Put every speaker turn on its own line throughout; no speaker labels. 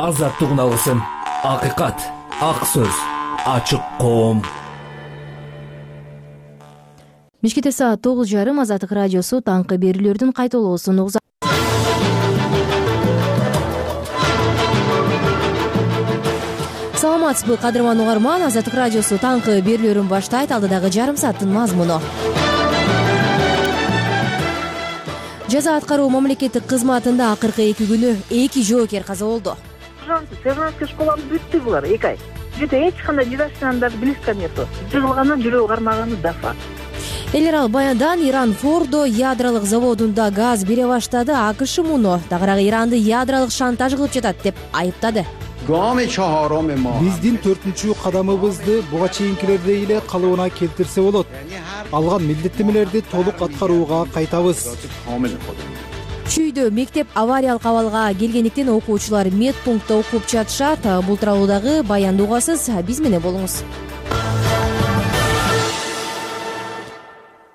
азаттык алсын, акыйкат, ак сөз, ачык коом.
Мешкетте саат 9:30 Азаттык радиосу таңкы берүүлөрдүн кайталоосун угузат. Саламатсызбы, кадырман угарман. Азаттык радиосу таңкы берүүлөрүн баштайт. Алдыдагы жарым сааттын мазмуну. Жаза аткаруу мамлекеттик кызматында акыркы 2 күнү 2 жоокер каза болду.
Сержантский школаны бүттү булар 2 ай. Жете эч кандай жидашынан даже близко нету. Жыгылгандан жүрөгү кармаганы да факт.
Элер ал баяндан Иран Фордо ядролук заводунда газ бере баштады. АКШ муну дагыраагы Иранды ядролук шантаж кылып жатат деп айыптады.
Биздин 4-чү кадамыбызды буга чейинкилердей эле калыбына келтирсе болот. Алган милдеттемелерди толук аткарууга кайтабыз.
Чүйдө мектеп авариялык абалга келгендиктен окуучулар медпунктта окуп жатышат. Бул тууралуу баянды угасыз, биз менен болуңуз.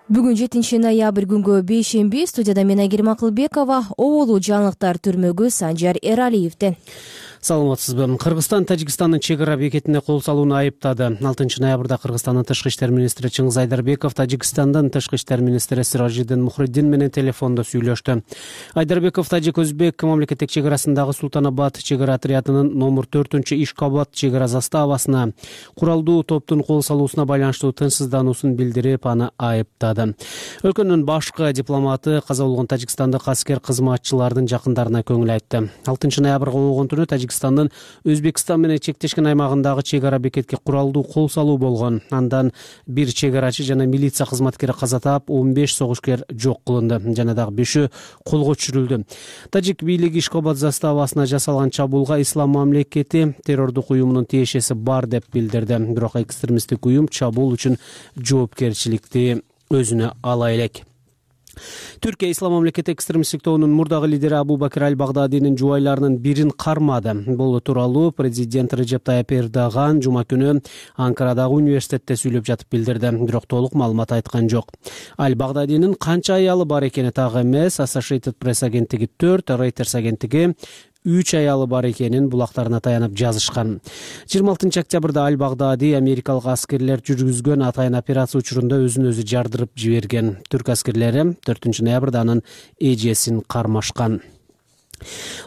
Бүгүн 7 ноябрь күнгө бейшемби. Студияда мен Айгерим Акылбекова, оболу жаңылыктар түрмөгү Санжар Эралиевден.
Саламатсызбы. Кыргызстан Тажикстандын чек ара бекетине кол салууну айыптады. 6 ноябрда Кыргызстандын тышкы иштер министри Чыңгыз Айдарбеков Тажикстандын тышкы иштер министри Сиражиддин Мухриддин менен телефондо сүйлөштү. Айдарбеков Тажик-Өзбек мамлекеттик чек арасындагы Султанабад чек ара отрядынын номер 4-Ишкобод чек ара заставасына куралдуу топтун кол салуусуна байланыштуу тынчсыздануусун билдирип, аны айыптады. Өлкөнүн башкы дипломаты каза болгон тажикстандык аскер кызматчылардын жакындарына көңүл айтты. 6 ноябрга болгон түнү Тажикстандын Өзбекстан менен чектешкен аймагындагы чек ара бекетке куралдуу кол салуу болгон. Андан 1 чек арачы жана милиция кызматкери каза таап, 15 согушкер жок кылынды жана дагы 5 колго түшүрүлдү. Тажик бийлиги Ишкобод заставасына жасалган чабуулга Ислам мамлекети террордук уюмунун тиешеси бар деп билдирди. Бирок экстремисттик уюм чабуул үчүн жоопкерчиликти өзүнө ала элек. Түркия Ислам мамлекети экстремисттик тобунун мурдагы лидери Абу Бакир аль-Багдадинин жубайларынын бирин кармады. Бул тууралуу президент Режеп Тайып Эрдоган жума күнү Анкарадагы университетте сүйлөп жатып билдирди. Бирок толук маалымат айткан жок. Аль-Багдадинин канча аялы бар экени так эмес. Associated Press агенттиги 4, Reuters агенттиги 3 аялы бар экенин булактарына таянып жазышкан. 26 октябрда Аль-Багдади америкалык аскерлер жүргүзгөн атайын операция учурунда өзүн өзү жардырып жиберген. Түрк аскерлери 4 ноябрда анын эжесин кармашкан.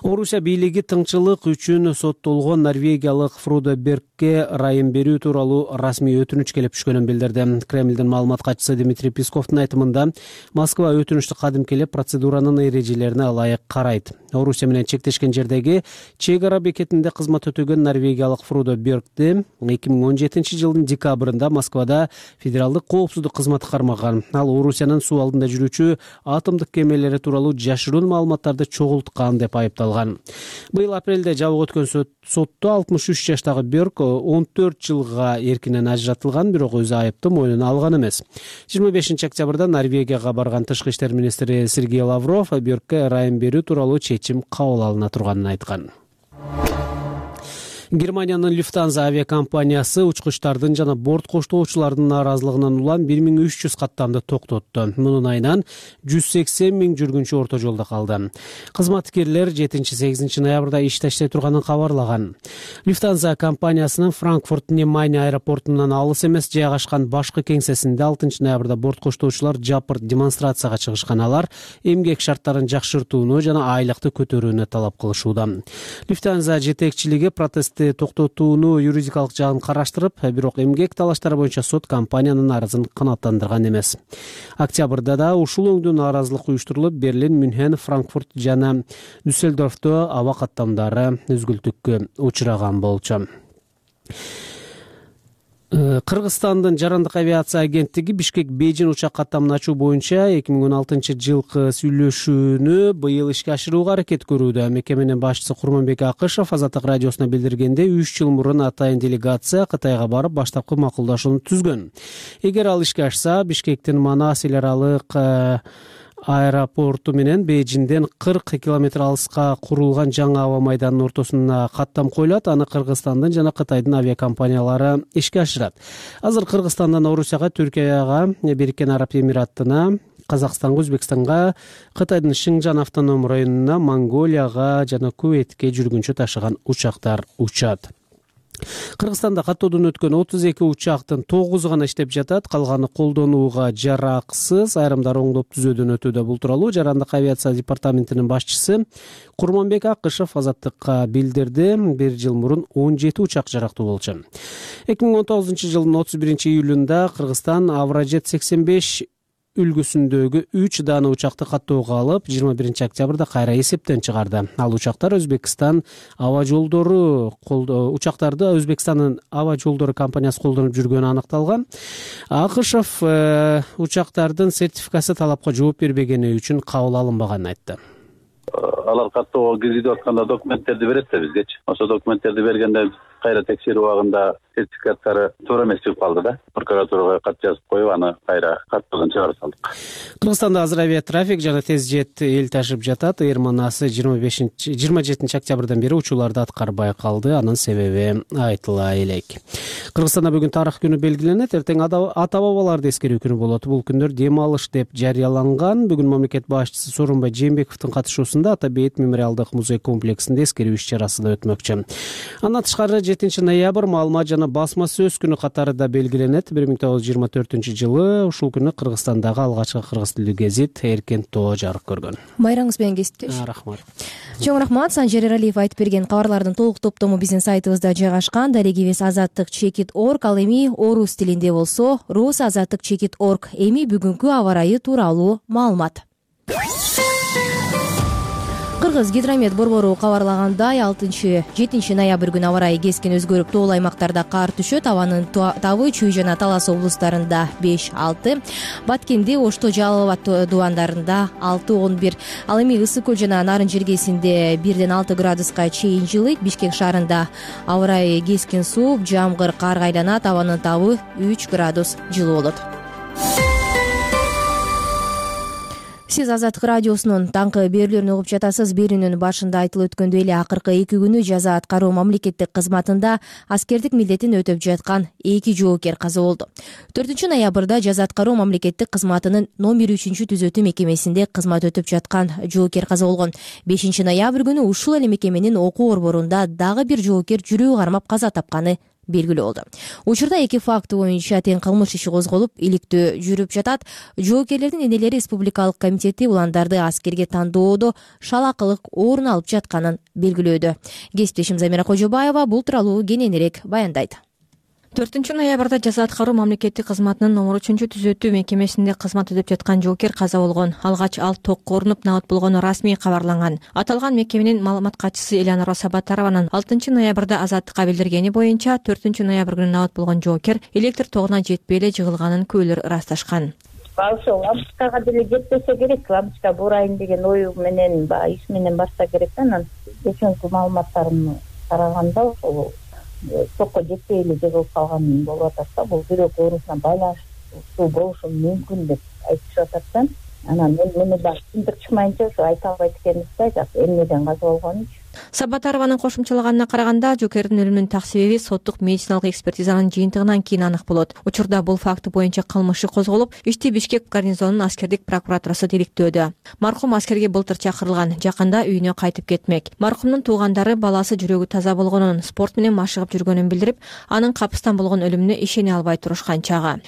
Орусия бийлиги тыңчылык үчүн соттолгон норвегиялык Фродо Бергке райым берүү тууралуу расмий өтүнүч келип түшкөнүн билдирди. Кремлдин маалымат катчысы Дмитрий Песковдун айтымында, Москва өтүнүчтү кадимкелеп процедуранын эрежелерине ылайык карайт. Орусия менен чектешкен жердеги чек ара бекетинде кызмат өтөгөн норвегиялык Фродо Бергди 2017 жылдын декабрында Москвада федералдык коопсуздук кызматы кармаган. Ал Орусиянын суу алдында жүрүүчү атомдук кемелери тууралуу жашыруун маалыматтарды чогулткан деп айыпталган. Быйыл апрелде жабык өткөн сотто 63 жаштагы Берг 14 жылга эркинен ажыратылган, бирок өзү айыпты мойнуна алган эмес. 25 октябрда Норвегияга барган тышкы иштер министри Сергей Лавров Бергке райым берүү тууралуу чечим кабыл алына турганын айткан. Германиянын Lufthansa авиакомпаниясы учкучтардын жана борт коштоочулардын нааразылыгынан улам 1300 каттамды токтотту. Мунун айынан 180 000 жүргүнчү орто жолдо калды. Кызматкерлер 7-8 ноябрда иштеште турганын кабарлаган. Lufthansa компаниясынын Франкфурт-Немайне аэропортунан алыс эмес жайгашкан башкы кеңсесинде 6 ноябрда борт коштоочулар жапыр демонстрацияга чыгышкан. Алар эмгек шарттарын жакшыртууну жана айлыкты көтөрүүнү талап кылышууда. Lufthansa жетекчилиги протест токтотууну юридикалык жагын караштырып, бирок эмгек талаштары боюнча сот компаниянын нааразын канааттандырган эмес. Октябрда да ушул өңдүү нааразылык уюштурулуп, Берлин, Мюнхен, Франкфурт жана Дюссельдорфто аба каттамдары үзгүлтүккө учураган болчу. Кыргызстандын жарандык авиация агенттиги Бишкек-Бейжин учак каттамын ачуу боюнча 2016 жылкы сүйлөшүүнү быйыл ишке ашырууга аракет көрүүдө. Мекеменин башчысы Курманбек Акышев Азаттык радиосуна билдиргенде, 3 жыл мурун атайын делегация Кытайга барып баштапкы макулдашууну түзгөн. Эгер ал ишке ашса, Бишкектин Манас эл аралык аэропорту менен Бейжинден 40 километр алыска курулган жаңы аба майданынын ортосуна каттам коюлат. Аны Кыргызстандын жана Кытайдын авиакомпаниялары ишке ашырат. Азыр Кыргызстандан Орусияга, Түркияга, Бириккен Араб Эмираттарына, Казакстанга, Өзбекстанга, Кытайдын Шыңжан автоном районуна, Монголияга жана Куветке жүргүнчү ташыган учактар учат. Кыргызстанда каттоодон өткөн 32 учактын 9 гана иштеп жатат, калганы колдонууга жараксыз, айрымдары оңдоп түзөөдөн өтүүдө. Бул тууралуу Жарандык авиация департаментинин башчысы Курманбек Акышев Азаттыкка билдирди. Бир жыл мурун 17 учак жарактуу болчу. 2019-жылдын 31-июлунда Кыргызстан Авражет 85 үлгүсүндөгү 3 даана учакты каттоого алып, 21-октябрда кайра эсептен чыгарды. Ал учактар Өзбекстан аба жолдору учактарды Өзбекстандын аба жолдору компаниясы колдонуп жүргөнү аныкталган. Акышев учактардын сертификасы талапка жооп бербегени үчүн кабыл алынбаганын айтты.
Алар каттоого киргизип атканда документтерди берет да бизгечи. Ошо документтерди бергенде кайра текшерүү убагында сертификаттары туура эмес чыгып калды да. Прокуратурага кат жазып коюп, аны кайра каттоодон чыгарып салдык.
Кыргызстанда азыр авиатрафик жана тез жет эл ташып жатат. Эйр манасы 27-октябрдан бери учууларды аткарбай калды. Анын себеби айтыла элек. Кыргызстанда бүгүн тарых күнү белгиленет. Эртең ата бабаларды эскерүү күнү болот. Бул күндөр дем алыш деп жарыяланган. Бүгүн мамлекет башчысы Сооронбай Жээнбековдун катышуусунда Ата Бейит мемориалдык музей комплексинде эскерүү иш-чарасы да өтмөкчү. Андан тышкары 7-ноябрь маалымат жана басма сөз күнү катары да белгиленет. 1924-жылы ушул күнү Кыргызстандагы алгачкы кыргыз тилдүү гезит Эркен тоо жарык көргөн.
Байраңыз менен кесиптеш.
Рахмат.
Чоң рахмат. Санжар Эралиев айтып берген кабарлардын толук топтому биздин сайтыбызда жайгашкан. Дарегибиз azattik.org, ал эми орус тилинде болсо rus.azattik.org. Эми бүгүнкү аба ырайы тууралуу маалымат. Кыргыз гидромет борбору кабарлагандай 6-7 ноябрь күнү аба ырайы кескен өзгөрүп, тоолуу аймактарда кар түшөт. Абанын Тавы, Чүй жана Талас облустарында 5-6, Баткенде, Ошто, Жалал Абад дубандарында 6-11. Ал эми Ысык көл жана Нарын жергесинде 1-6 градуска чейин жылыйт. Бишкек шаарында аба ырайы кескен сууп, жамгыр, карга айланат. Абанын Тавы 3 градус жылуу болот. Сиз Азаттык радиосунун таңкы берүүлөрүн угуп жатасыз. Берүүнүн башында айтылып өткөндөй эле акыркы 2 күнү жаза аткаруу мамлекеттик кызматында аскердик милдетин өтөп жаткан 2 жоокер каза болду. 4-ноябрда жаза аткаруу мамлекеттик кызматынын номер 3-түзөтүү мекемесинде кызмат өтөп жаткан жоокер каза болгон. 5-ноябрь күнү ушул эле мекеменин окуу борборунда дагы бир жоокер жүрөгү кармап каза тапканы белгилүү болду. Учурда 2 факты боюнча тең кылмыш иши козголуп, иликтөө жүрүп жатат. Жоокерлердин энелери Республикалык комитети уландарды аскерге тандоодо шалакылык орун алып жатканын белгилөөдө. Кесиптешим Замира Кожобаева бул тууралуу кененирээк баяндайт.
4-ноябрда жаза аткаруу мамлекеттик кызматынын номер 3-түзөтүү мекемесинде кызмат өтөп жаткан жоокер каза болгон. Алгач ал токко урунуп набат болгону расмий кабарланган. Аталган мекеменин маалымат катчысы Элеонора Сабатарованын 6-ноябрда Азаттыкка билдиргени боюнча 4-ноябрь күнү набат болгон жоокер электр тогуна жетпей эле жыгылганын күйөөлөр ырасташкан.
Ошо лампочкага деле жетпесе керек, лампочка бурайын деген ою менен иш менен барса керек да. Анан кечинки маалыматтарымды караганда ошол токко жетпей эле жыгылып калган болуп атат да. Бул жүрөк оорусуна байланыштуу болушу мүмкүн деп айтышып атат да. Анан мени да түндүк чыкмайынча ошо айта албайт экенбиз да, жак эмнеден каза болгонун.
Сабатарованын кошумчалаганына караганда, жоокердин өлүмүнүн так себеби соттук медициналык экспертизанын жыйынтыгынан кийин анык болот. Учурда бул факты боюнча кылмыш иши козголуп, ишти Бишкек гарнизонунун аскердик прокуратурасы териктөөдө. Маркум аскерге былтыр чакырылган, жакында үйүнө кайтып кетмек. Маркумдун туугандары баласы жүрөгү таза болгонун, спорт менен машыгып жүргөнүн билдирип, анын капыстан болгон өлүмүнө ишене албай турушкан чагы.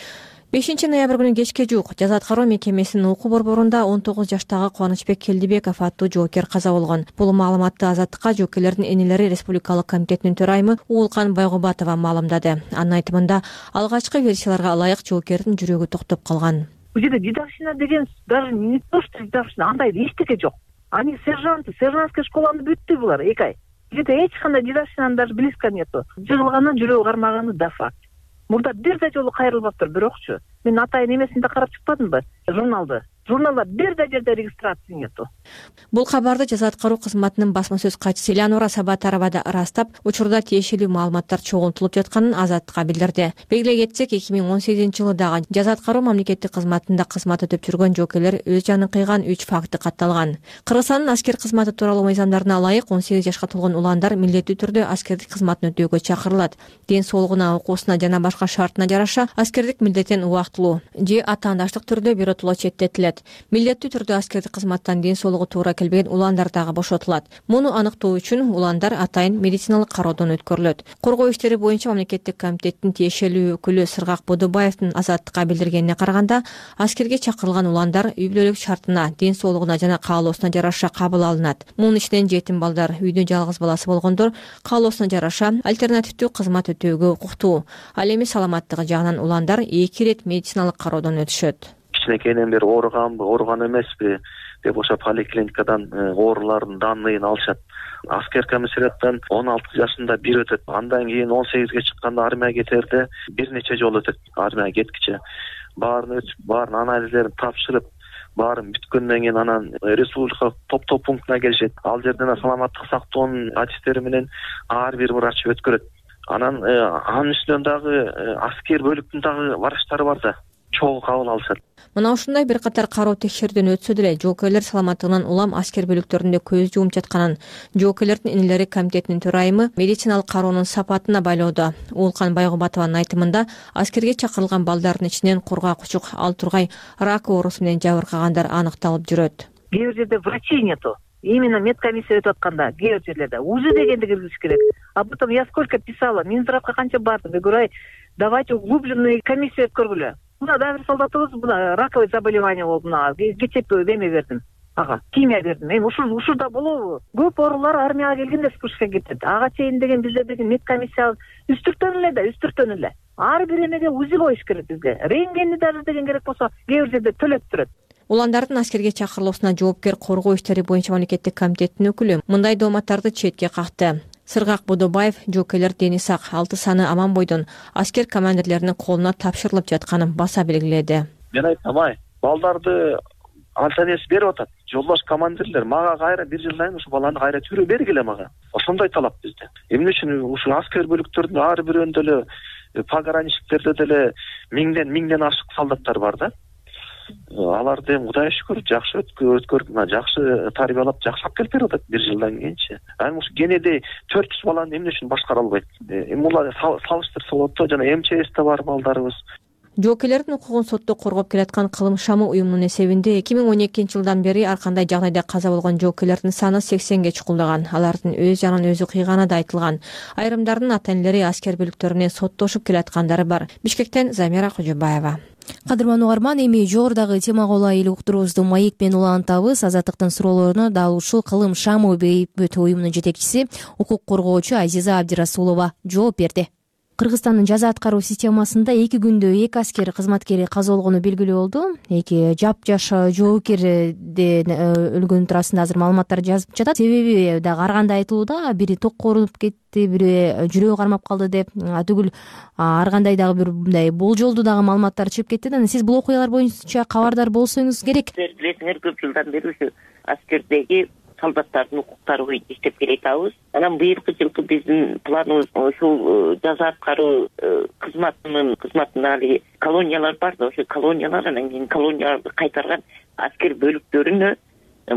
5-ноябрь күнү кечке жуук жаза аткаруу мекемесинин окуу борборунда 19 жаштагы Кубанычбек Келдибеков аттуу жоокер каза болгон. Бул маалыматты Азаттыкка жоокерлердин энелери Республикалык комитетинин төрайымы Уулкан Байгубатова маалымдады. Анын айтымында, алгачкы версияларга ылайык жоокердин жүрөгү токтоп калган.
Бул жерде дедовщина деген даже не то что дедовщина, андай эчтеке жок. Они сержантская школаны бүттү булар 2 ай. Бул жерде эч кандай дедовщинанын даже близко нету. Жыгылганын, жүрөгү кармаганы да факт. Мурда бир да жолу кайрылбаптыр, бирокчу мен атайын эмесинде карап чыкпадымбы журналда бир да жерде регистрация нету.
Бул кабарды жаза аткаруу кызматынын басма сөз катчысы Элеонора Сабатарова да ырастап, учурда тиешелүү маалыматтар чогултулуп жатканын Азаттыкка билдирди. Белгилей кетсек, 2018-жылы дагы жаза аткаруу мамлекеттик кызматында кызмат өтөп жүргөн жоокерлер өз жанын кыйган 3 факты катталган. Кыргызстандын аскер кызматы тууралуу мыйзамдарына ылайык 18 жашка толгон уландар милдеттүү түрдө аскердик кызматын өтөөгө чакырылат. Ден соолугуна, окуусуна жана башка шартына жараша аскердик милдеттен убактылуу же атаандаштык түрдө биротоло четтетилет. Милдеттүү түрдө аскердик кызматтан ден соолугу туура келбеген уландар дагы бошотулат. Муну аныктоо үчүн уландар атайын медициналык кароодон өткөрүлөт. Коргоо иштери боюнча мамлекеттик комитеттин тиешелүү өкүлү Сыргак Бодобаевдин Азаттыкка билдиргенине караганда, аскерге чакырылган уландар үй бүлөлүк шартына, ден соолугуна жана каалоосуна жараша кабыл алынат. Мунун ичинен жетим балдар, үйдө жалгыз баласы болгондор каалоосуна жараша альтернативдүү кызмат өтөөгө укуктуу. Ал эми саламаттыгы жагынан уландар 2 ирет медициналык кароодон өтүшөт.
Кичинекейинен бери ооруган эмеспи деп ошо поликлиникадан оорулардын данныйын алышат. Аскер комиссариаттан 16 жашында бир өтөт. Андан кийин 18-ге чыкканда армияга кетерде бир нече жолу өтөт. Армияга кеткиче баарын өтүп, баарын анализдерин тапшырып, баарын бүткөндөн кийин анан республикалык топтоо пунктуна келишет. Ал жерден саламаттык сактоонун аттестери менен ар бир врач өткөрөт. Анан анын үстүнөн дагы аскер бөлүктүн дагы врачтары бар да, чогуу кабыл алышат.
Мына ушундай бир катар кароо текшерүүдөн өтсө деле жоокейлер саламаттыгынан улам аскер бөлүктөрүндө көз жумуп жатканын жоокейлердин энелери комитетинин төрайымы медициналык кароонун сапатына байлоодо. Уулкан Байгубатованын айтымында, аскерге чакырылган балдардын ичинен кургак учук, ал тургай рак оорусу менен жабыркагандар аныкталып жүрөт.
Кээ бир жерде врачей нету. Именно медкомиссия өтүп атканда кээ бир жерлерде УЗИ дегенди киргизиш керек. А потом я сколько писала, Минздравга канча бардым. Я говорю, давайте глубже комиссия өткөргүлө. Мына дагы бир солдатыбыз мына раковый заболевание болду. Мына кечээ эме бердим. Химия бердим. Эми ушурда болобу? Көп оорулар армияга келгенде вспышка кетет. Ага чейин деген бизде деген медкомиссия үстүртөн эле. Ар бир эмеге УЗИ коюш керек бизге. Рентгенди даже деген керек болсо кээ бир жерде төлөп турат.
Уландардын аскерге чакырылуусуна жоопкер коргоо иштери боюнча мамлекеттик комитеттин өкүлү мындай дооматтарды четке какты. Сыргак Бодобаев жоокейлер дени сак, 6 саны аман бойдон аскер командирлеринин колуна тапшырылып жатканын баса белгиледи.
Мен айтам, балдарды альтернатив берип атат. Жолдош командирлер мага кайра бир жылдан кийин ушу баланы кайра түрө бергиле мага. Ошондой талап бизде. Эмне үчүн ушу аскер бөлүктөрдүн ар бирөөндө эле пограничниктерде деле миңден ашык солдаттар бар да. Аларды Кудайга шүкүр жакшы өткөрүп, жакшы тарбиялап, жакшы алып келип берип атат бир жылдан кийинчи. Эми ушу кенеде 400 баланы эмне үчүн башкара албайт? Эми булар салыштырса болот да, жана МЧСте бар балдарыбыз.
Жоокейлердин укугун сотто коргоп келаткан Кылым шамы уюмунун эсебинде 2012-жылдан бери ар кандай жагдайда каза болгон жоокейлердин саны 80ге чукулдаган. Алардын өз жанын өзү кыйганы да айтылган. Айрымдардын ата-энелери аскер бөлүктөрү менен соттошуп келаткандары бар. Бишкектен Замира Кожобаева.
Кадырман угарман, эми жогорудагы темага ылайык уктуруубузду маек менен улантабыз. Азаттыктын суроолоруна дал ушул Кылым шамы бейбит уюмунун жетекчиси, укук коргоочу Азиза Абдирасулова жооп берди. Кыргызстандын жаза аткаруу системасында 2 күндө 2 аскер кызматкери каза болгону белгилүү болду. 2 жапжаш жоокерден өлгөн туурасында азыр маалыматтар жазып жатат. Себеби дагы ар кандай айтылууда, бири токко урунуп кетти, бири жүрөгү кармап калды деп, түгүл ар кандай дагы бир мындай болжолдуу дагы маалыматтар чыгып кетти. Анан сиз бул окуялар боюнча кабардар болсоңуз керек.
Билесиңер, көп жылдан бери ушу аскердеги солдаттардын укуктары боюнча иштеп келатабыз. Анан быйылкы жылкы биздин планыбыз ушул жаза аткаруу кызматында али колониялар бар да, ошо колониялар, анан кийин колонияларды кайтарган аскер бөлүктөрүнө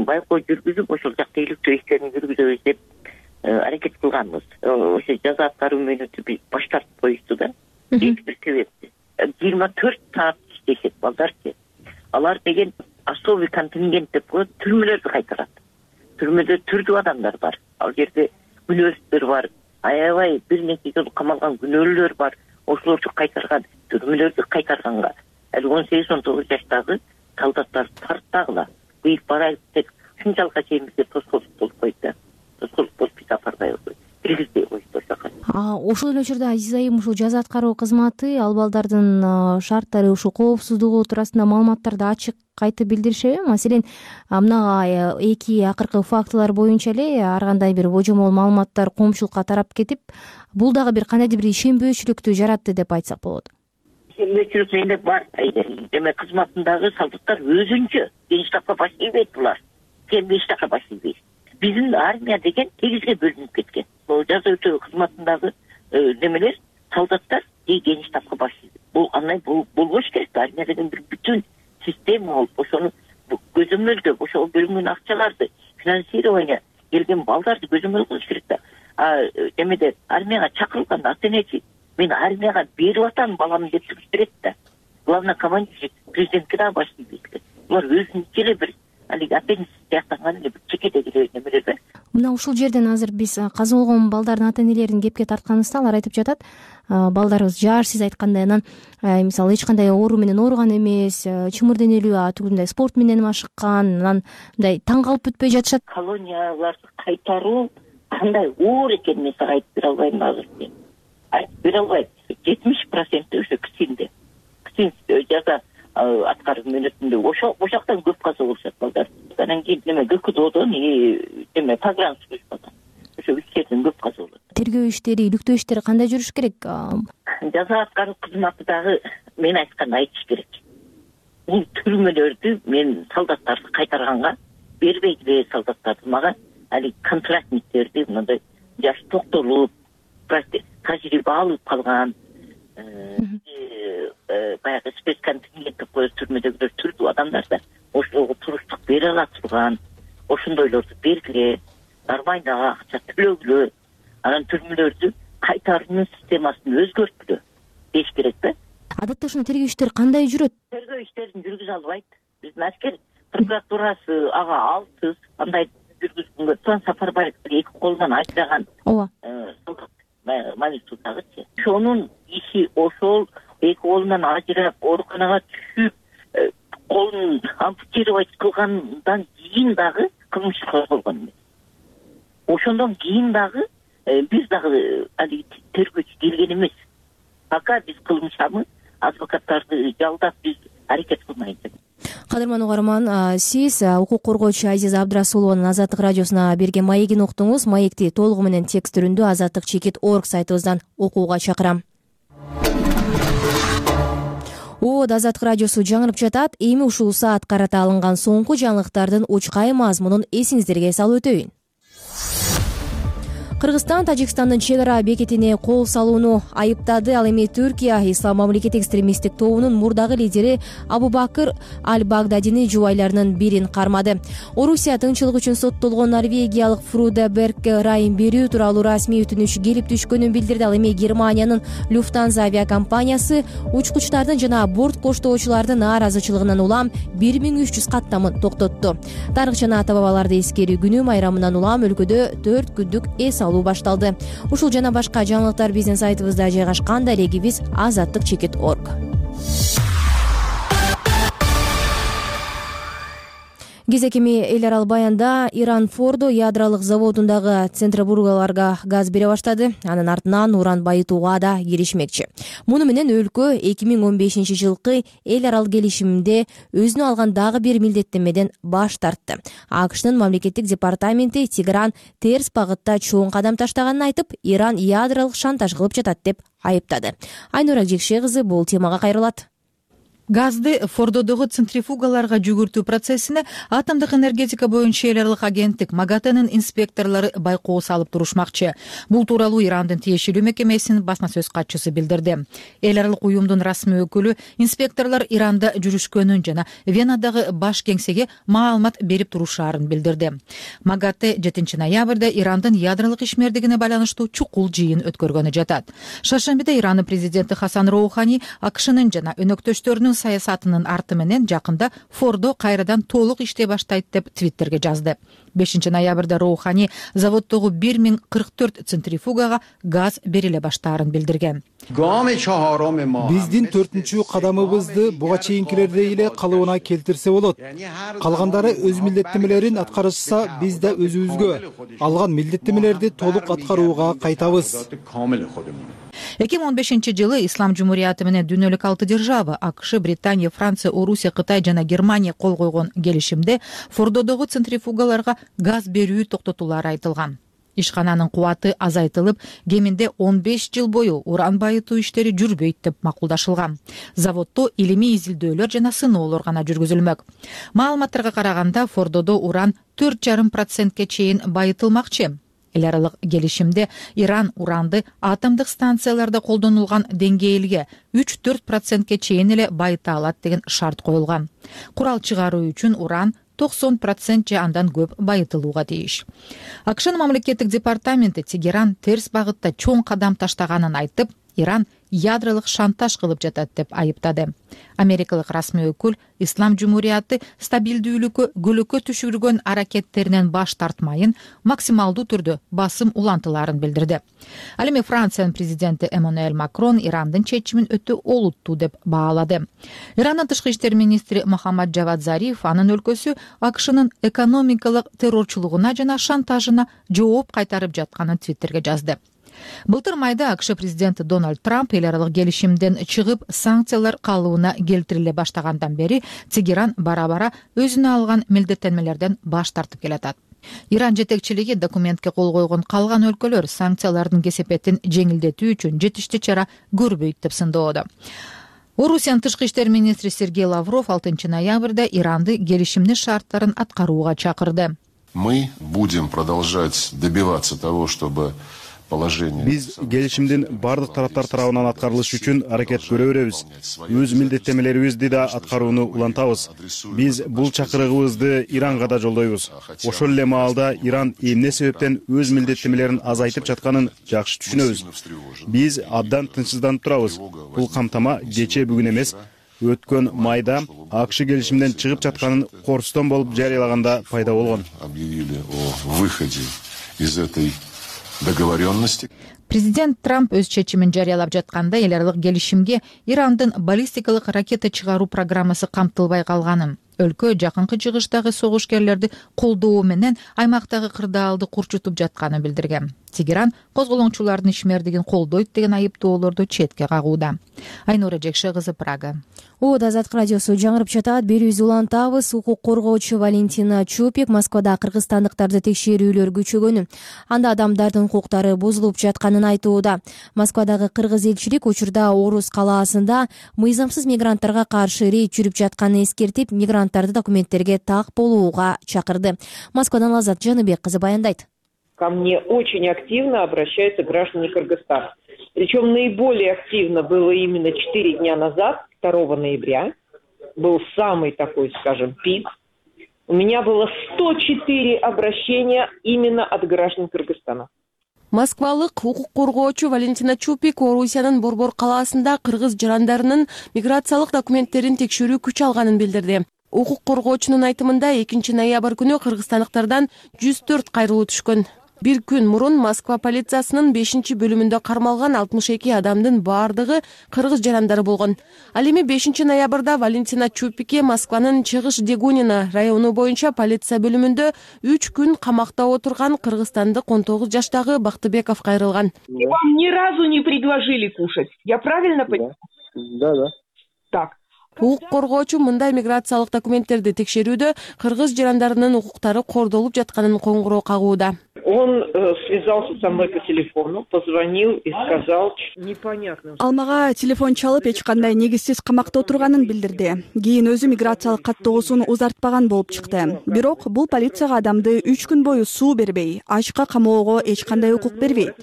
байкоо жүргүзүп, ошол жакта иликтөө иштерин жүргүзөбүз деп аракет кылганбыз. Ошо жаза аткаруу мөөнөтү баш тартып коюшту да. Эч бир себепти. 24 саат иштешет балдарчы. Алар деген особый контингент деп коет, түрмөлөрдү кайтарат. Түрмөдө түрдүү адамдар бар. Ал жерде күнөөсүздөр бар. Аябай бир нече жыл камалган күнөөлүүлөр бар. Ошолорду кайтарган, түрмөлөрдү кайтарганга ал 18-19 жаштагы солдаттар тарттагыла. Быйыл барайык деп ушунчалыкка чейин бизде тоскоолдук болуп койду да. Тоскоолдук болуп биз апарбай койдук. Киргизбей койду ошоко.
Ошол эле учурда Азиза айым, ушул жаза аткаруу кызматы ал балдардын шарттары, ушул коопсуздугу туурасында маалыматтарды ачык кайтып билдиришеби? Маселен, мына 2 акыркы фактылар боюнча эле ар кандай бир божомол маалыматтар коомчулукка тарап кетип, бул дагы бир кандайдыр бир ишенбөөчүлүктү жаратты деп айтсак болот.
Ишенбөөчүлүк менде бар. Демек кызматындагы солдаттар өзүнчө генштабка баш ийбейт булар. Кемби иштакка баш ийбейт. Биздин армия деген 8ге бөлүнүп кеткен. Бул жаза өтөө кызматындагы немелер, солдаттар генштабка баш ийбейт. Бул андай болбош керек. Армия деген бир бүтүн система болуп, ошону көзөмөлдөп, ошол бөлүнгөн акчаларды, финансирование келген балдарды көзөмөл кылыш керек да. Демеде армияга чакырылганда ата-энечи мен армияга берип атам баламды деп туруш керек да. Главный командир президентке да баш ийбейт. булар өзүнчө эле бир алиги аппендикс сыяктанган эле бир чекедеги эле немелер да.
Мына ушул жерден азыр биз каза болгон балдардын ата энелерин кепке тартканыбызда алар айтып жатат, балдарыбыз жаш, сиз айткандай, анан мисалы эч кандай оору менен ооруган эмес, чымыр денелүү, түгүндөй спорт менен машыккан, анан мындай таң калып бүтпөй жатышат.
Колонияларды кайтаруу кандай оор экенин мен сага айтып бере албайм азыр. Айтып бере албайм. 70% ошо КСИНде. КСИН жаза аткаруу мөөнөтүндө ошол жактан көп каза болушат балдар. Анан кийин ГКДодон погран службадан ошо иштерден көп каза болот.
Тергөө иштери, иликтөө иштери кандай жүрүш керек?
Жаза аткаруу кызматы дагы мен айтканды айтыш керек. Бул түрмөлөрдү мен солдаттарды кайтарганга бербейдиле, солдаттарды мага али контрактниктерди мындай жаш токтолуп, тажрыйба алып калган, баягы спецконтингент деп коебуз, түрмөдөгүлөр түрдүү адамдар да ошого туруштук бере ала турган, ошондойлорду бергиле, нормальный акча төлөгүлө, анан түрмөлөрдү кайтаруунун системасын өзгөрткүлө деш керек да.
Адатта ушуну тергөө иштери кандай жүрөт?
Тергөө иштерин жүргүзө албайт. Биздин аскер прокуратурасы ага алсыз, андай жүргүзгөнгө Туан Сапарбаев эки колунан ажыраган солдат Манисудагычы. Ошонун иши ошол эки колунан ажырап, ооруканага түшүп, колун ампутировать кылгандан кийин дагы кылмыш козголгон эмес. Ошондон кийин дагы биз дагы алиги тергөөчү келген эмес. Пока биз кылмышабы адвокаттарды жалдап биз аракет кылмайбыз.
Кадырман угарман, сиз укук коргоочу Азиза Абдрасулованын Азаттык радиосуна берген маегин уктуңуз. Маекти толугу менен текст түрүндө azattik.org сайтыбыздан окууга чакырам. Азаттык радиосу жаңырып жатат. Эми ушул саат карата алынган соңку жаңылыктардын учкай мазмунун эсиңиздерге салып өтөйүн. Кыргызстан Тажикстандын чек ара бекетине кол салууну айыптады. Ал эми Түркия Ислам мамлекети экстремисттик тобунун мурдагы лидери Абубакыр Аль-Багдадини жубайларынын бирин кармады. Орусия тынччылык үчүн соттолгон норвегиялык Фруда Бергке ырайым берүү тууралуу расмий өтүнүч келип түшкөнүн билдирди. Ал эми Германиянын Люфтанза авиакомпаниясы учкучтардын жана борт коштоочулардын нааразычылыгынан улам 1300 каттамын токтотту. Тарых жана ата бабаларды эскерүү күнү майрамынан улам өлкөдө 4 күндүк эс алуу башталды. Ушул жана башка жаңылыктар биздин сайтыбызда жайгашкан. Дарегибиз azattik.org. Кезекими эл аралык баянда Иран Фордо ядролук заводундагы центробургаларга газ бере баштады. Анын артынан уран байытууга да киришмекчи. Муну менен өлкө 2015-жылкы эл аралык келишимде өзүнө алган дагы бир милдеттенмеден баш тартты. АКШнын мамлекеттик департаменти Тегеран терс багытта чоң кадам таштаганын айтып, Иран ядролук шантаж кылып жатат деп айыптады. Айнура Жекше кызы бул темага кайрылат.
Газды Фордодогу центрифугаларга жүгүртүү процессине атомдук энергетика боюнча эл аралык агенттик МАГАТЭнин инспекторлору байкоо салып турушмакчы. Бул тууралуу Ирандын тиешелүү мекемесинин басма сөз катчысы билдирди. Эл аралык уюмдун расмий өкүлү инспекторлор Иранда жүрүшкөнүн жана Венадагы баш кеңсеге маалымат берип турушаарын билдирди. МАГАТЭ 7 ноябрда Ирандын ядролук ишмердигине байланыштуу чукул жыйын өткөргөнү жатат. Шаршембиде Ирандын президенти Хасан Роухани АКШнын жана өнөктөштөрүнүн саясатынын арты менен жакында Фордо кайрадан толук иштей баштайт деп Твиттерге жазды. 5 ноябрда Роухани заводдогу 1044 центрифугага газ бериле баштаарын билдирген.
Биздин 4-чү кадамыбызды буга чейинкилердей эле калыбына келтирсе болот. Калгандары өз милдеттенмелерин аткарышса, биз да өзүбүзгө алган милдеттенмелерди толук аткарууга кайтабыз.
2015-жылы Ислам Жумурияты менен дүйнөлүк 6 держава АКШ, Британия, Франция, Орусия, Кытай жана Германия кол койгон келишимде Фордодогу центрифугаларга газ берүү токтотулары айтылган. Ишкананын кубаты азайтылып, кеминде 15 жыл бою уран байытуу иштери жүрбөйт деп макулдашылган. Заводдо илимий изилдөөлөр жана сыноолор гана жүргүзүлмөк. Маалыматтарга караганда Фордодо уран 4,5% чейин байытылмакчы. Эл аралык келишимде Иран уранды атомдук станцияларда колдонулган деңгээлге 3-4% чейин эле байыта алат деген шарт коюлган. Курал чыгаруу үчүн уран 90% же андан көп байытылууга тийиш. АКШнын мамлекеттик департаменти Тегеран терс багытта чоң кадам таштаганын айтып, Иран ядролук шантаж кылып жатат деп айыптады. Америкалык расмий өкүл Ислам Жумурияты стабилдүүлүккө көлөкө түшүргөн аракеттеринен баш тартмайын, максималдуу түрдө басым улантыларын билдирди. Ал эми Франциянын президенти Эммануэль Макрон Ирандын чечимин өтө олуттуу деп баалады. Ирандын тышкы иштер министри Мохаммад Джавад Зариф анын өлкөсү АКШнын экономикалык террорчулугуна жана шантажына жооп кайтарып жатканын Твиттерге жазды. Былтыр майда АКШ президенти Дональд Трамп эл аралык келишимден чыгып санкциялар калыбына келтириле баштагандан бери Тегеран бара-бара өзүнө алган милдеттенмелерден баш тартып келатат. Иран жетекчилиги документке кол койгон калган өлкөлөр санкциялардын кесепетин жеңилдетүү үчүн жетиштүү чара көрбөйт деп сындоодо. Орусиянын тышкы иштер министри Сергей Лавров 6 ноябрда Иранды келишимдин шарттарын аткарууга чакырды.
Мы будем продолжать добиваться того, чтобы
биз келишимдин бардык тараптар тарабынан аткарылышы үчүн аракет көрө беребиз. Өз милдеттенмелерибизди да аткарууну улантабыз. Биз бул чакырыгыбызды Иранга да жолдойбуз. Ошол эле маалда Иран эмне себептен өз милдеттенмелерин азайтып жатканын жакшы түшүнөбүз. Биз абдан тынчсызданып турабыз. Бул камтама кечээ бүгүн эмес, өткөн майда АКШ келишимден чыгып жатканын корстон болуп жарыялаганда пайда болгон.
Объявили о выходе из этой договоренности.
Президент Трамп өз чечимин жарыялап жатканда эл аралык келишимге Ирандын баллистикалык ракета чыгаруу программасы камтылбай калганын, өлкө жакынкы чыгыштагы согушкерлерди колдоо менен аймактагы кырдаалды курчутуп жатканын билдирген. Тегеран козголоңчулардын ишмердигин колдойт деген айыптоолорду четке кагууда. Айнура Жекше кызы, Прага.
Азаттык радиосу жаңырып жатат. Берүүбүздү улантабыз. Укук коргоочу Валентина Чупик Москвада кыргызстандыктарды текшерүүлөр күчөгөнүн, анда адамдардын укуктары бузулуп жатканын айтууда. Москвадагы кыргыз элчилик учурда Орус калаасында мыйзамсыз мигранттарга каршы рейд жүрүп жатканын эскертип, мигранттарды документтерге так болууга чакырды. Москвадан Лазат Жаныбек кызы баяндайт.
Ко мне очень активно обращаются граждане Кыргызстана. Причем наиболее активно было именно 4 дня назад, 2 ноября. Был самый такой, скажем, пик. У меня было 104 обращения именно от граждан Кыргызстана.
Москвалык укук коргоочу Валентина Чупик Орусиянын Борбор калаасында кыргыз жарандарынын миграциялык документтерин текшерүү күч алганын билдирди. Укук коргоочунун айтымында 2 ноябрь күнү кыргызстандыктардан 104 кайрылуу түшкөн. Бир күн мурун Москва полициясынын 5-бөлүмүндө кармалган 62 адамдын баардыгы кыргыз жарандары болгон. Ал эми 5 ноябрда Валентина Чупикке Москванын Чыгыш Дегунина району боюнча полиция бөлүмүндө 3 күн камакта отурган кыргызстандык 19 жаштагы Бактыбеков кайрылган.
Вам ни разу не предложили кушать. Я правильно понимаю?
Да.
Так.
Укук коргоочу мындай миграциялык документтерди текшерүүдө кыргыз жарандарынын укуктары кордолуп жатканын коңгуроо кагууда.
Он связался со мной по телефону, позвонил и сказал непонятно.
Ал мага телефон чалып эч кандай негизсиз камакта отурганын билдирди. Кийин өзү миграциялык каттоосун узартпаган болуп чыкты. Бирок бул полицияга адамды 3 күн бою суу бербей, ачка камоого эч кандай укук бербейт.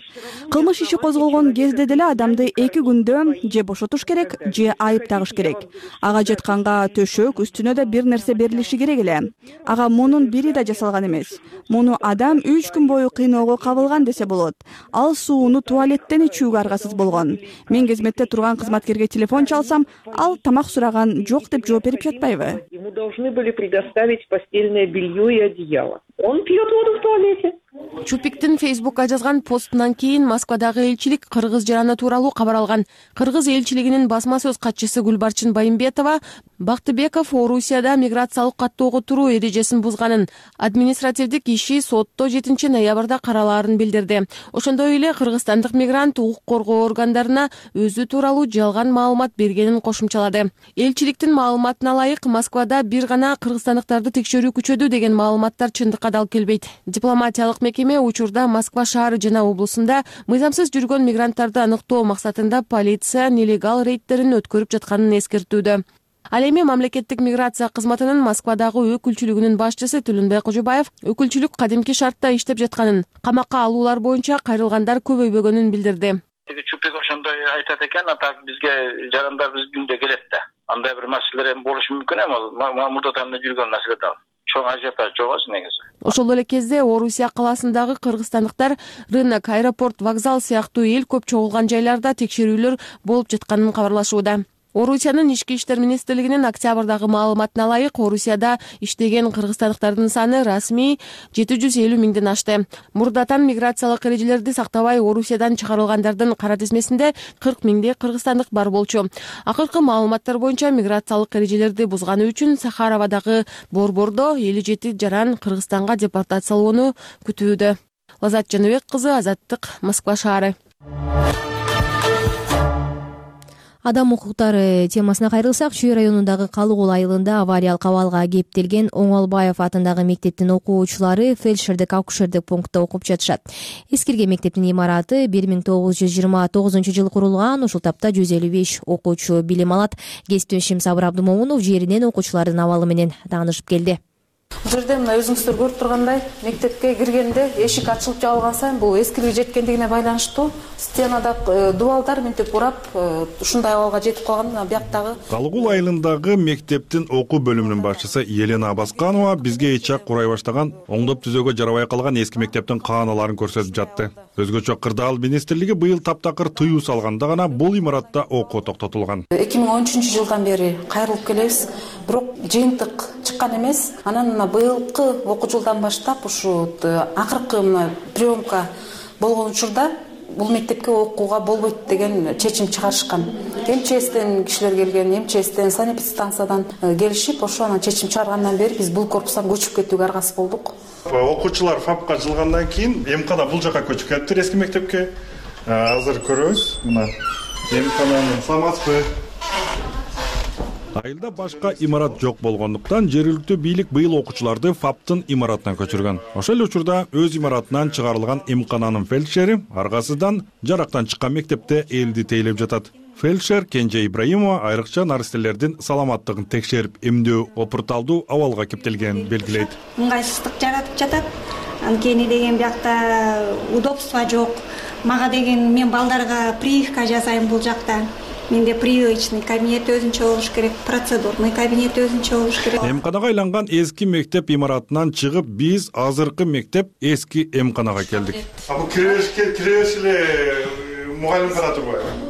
Кылмыш иши козголгон кезде деле адамды 2 күндө же бошотуш керек, же айып тагыш керек. Ага жатканга төшөк, үстүнө да бир нерсе берилиши керек эле. Ага мунун бири да жасалган эмес. Муну адам 3 күн бою кыйноого кабылган десе болот. Ал сууну туалеттен ичүүгө аргасыз болгон. Мен кызметте турган кызматкерге телефон чалсам, ал тамак сураган жок деп жооп берип жатпайбы?
Ему должны были предоставить постельное белье и одеяло. Он пьет воду в туалете.
Чупиктин Фейсбукка жазган постунан кийин Москвадагы элчилик кыргыз жараны тууралуу кабар алган. Кыргыз элчилигинин басма сөз катчысы Гүлбарчын Байымбетова Бактыбеков Орусияда миграциялык каттоого туруу эрежесин бузганын, административдик иши сотто 7 ноябрда каралаарын билдирди. Ошондой эле кыргызстандык мигрант укук коргоо органдарына өзү тууралуу жалган маалымат бергенин кошумчалады. Элчиликтин маалыматына ылайык Москвада бир гана кыргызстандыктарды текшерүү күчөдү деген маалыматтар чындыкка дал келбейт. Дипломатиялык мекеме учурда Москва шаары жана облусунда мыйзамсыз жүргөн мигранттарды аныктоо максатында полиция нелегал рейдтерин өткөрүп жатканын эскертүүдө. Ал эми мамлекеттик миграция кызматынын Москвадагы өкүлчүлүгүнүн башчысы Түлүнбай Кожобаев өкүлчүлүк кадимки шартта иштеп жатканын, камакка алуулар боюнча кайрылгандар көбөйбөгөнүн билдирди.
Чупик ошондой айтат экен, атак бизге жарандар биз күндө келет да. Андай бир маселелер болушу мүмкүн эми, ал мурда жүргөн маселе да. чоң ажиотаж жок өзү негизи.
Ошол эле кезде Орусия калаасындагы кыргызстандыктар рынок, аэропорт, вокзал сыяктуу эл көп чогулган жайларда текшерүүлөр болуп жатканын кабарлашууда. Орусиянын ички иштер министрлигинин октябрдагы маалыматына ылайык, Орусияда иштеген кыргызстандыктардын саны расмий 750 миңден ашты. Мурдатан миграциялык эрежелерди сактабай Орусиядан чыгарылгандардын кара тизмесинде 40 миңдей кыргызстандык бар болчу. Акыркы маалыматтар боюнча миграциялык эрежелерди бузганы үчүн Сахаровадагы борбордо 57 жаран Кыргызстанга депортациялоону күтүүдө. Лазат Жаныбек кызы, Азаттык, Москва шаары.
Адам укуктары темасына кайрылсак, Чүй районундагы Калыгул айылында авариялык абалга кептелген Оңолбаев атындагы мектептин окуучулары фельдшердик акушердик пунктта окуп жатышат. Эскирген мектептин имараты 1929 жылы курулган. Ушул тапта 155 окуучу билим алат. Кесиптешим Сабыр Абдымомунов жеринен окуучулардын абалы менен таанышып келди.
Бул жерде мына өзүңүздөр көрүп тургандай, мектепке киргенде эшик ачылып жабылган сайын бул эскилиги жеткендигине байланыштуу стенада дубалдар мынтип урап, ушундай абалга жетип калган. Бияктагы
Калыгул айылындагы мектептин окуу бөлүмүнүн башчысы Елена Абасканова бизге ичак курай баштаган, оңдоп түзөөгө жарабай калган эски мектептин кааналарын көрсөтүп жатты. Өзгөчө Кырдаал министрлиги быйыл таптакыр тыюу салганда гана бул имаратта окуу токтотулган.
2013 жылдан бери кайрылып келебиз, бирок жыйынтык чыккан эмес. Анан быйылкы окуу жылдан баштап ушу акыркы приемка болгон учурда бул мектепке окууга болбойт деген чечим чыгарышкан. МЧСтен кишилер келген, МЧСтен, санэпидстанциядан келишип, ошо анан чечим чыгаргандан бери биз бул корпустан көчүп кетүүгө аргасыз болдук.
Окуучулар ФАПка жылгандан кийин МКда бул жака көчүп кетиптир, эски мектепке. Азыр көрөбүз, мына МКнын самаспы. Айылда башка имарат жок болгондуктан жергиликтүү бийлик быйыл окуучуларды ФАПтын имаратына көчүргөн. Ошол эле учурда өз имаратынан чыгарылган МКнын фельдшери аргасыздан жарактан чыккан мектепте элди тейлеп жатат. Фельдшер Кенже Ибраимова айрыкча наристелердин саламаттыгын текшерип, эмдөө опурталдуу абалга кептелгенин белгилейт.
Ыңгайсыздык жаратып жатат. Анткени деген биякта удобство жок. Мага деген мен балдарга прививка жасайм бул жакта. Менде прививочный кабинет өзүнчө болуш керек, процедурный кабинет өзүнчө болуш керек.
МКнага айланган эски мектеп имаратынан чыгып, биз азыркы мектеп эски МКнага келдик. Бул киребериш эле мугалим гана турбайбы?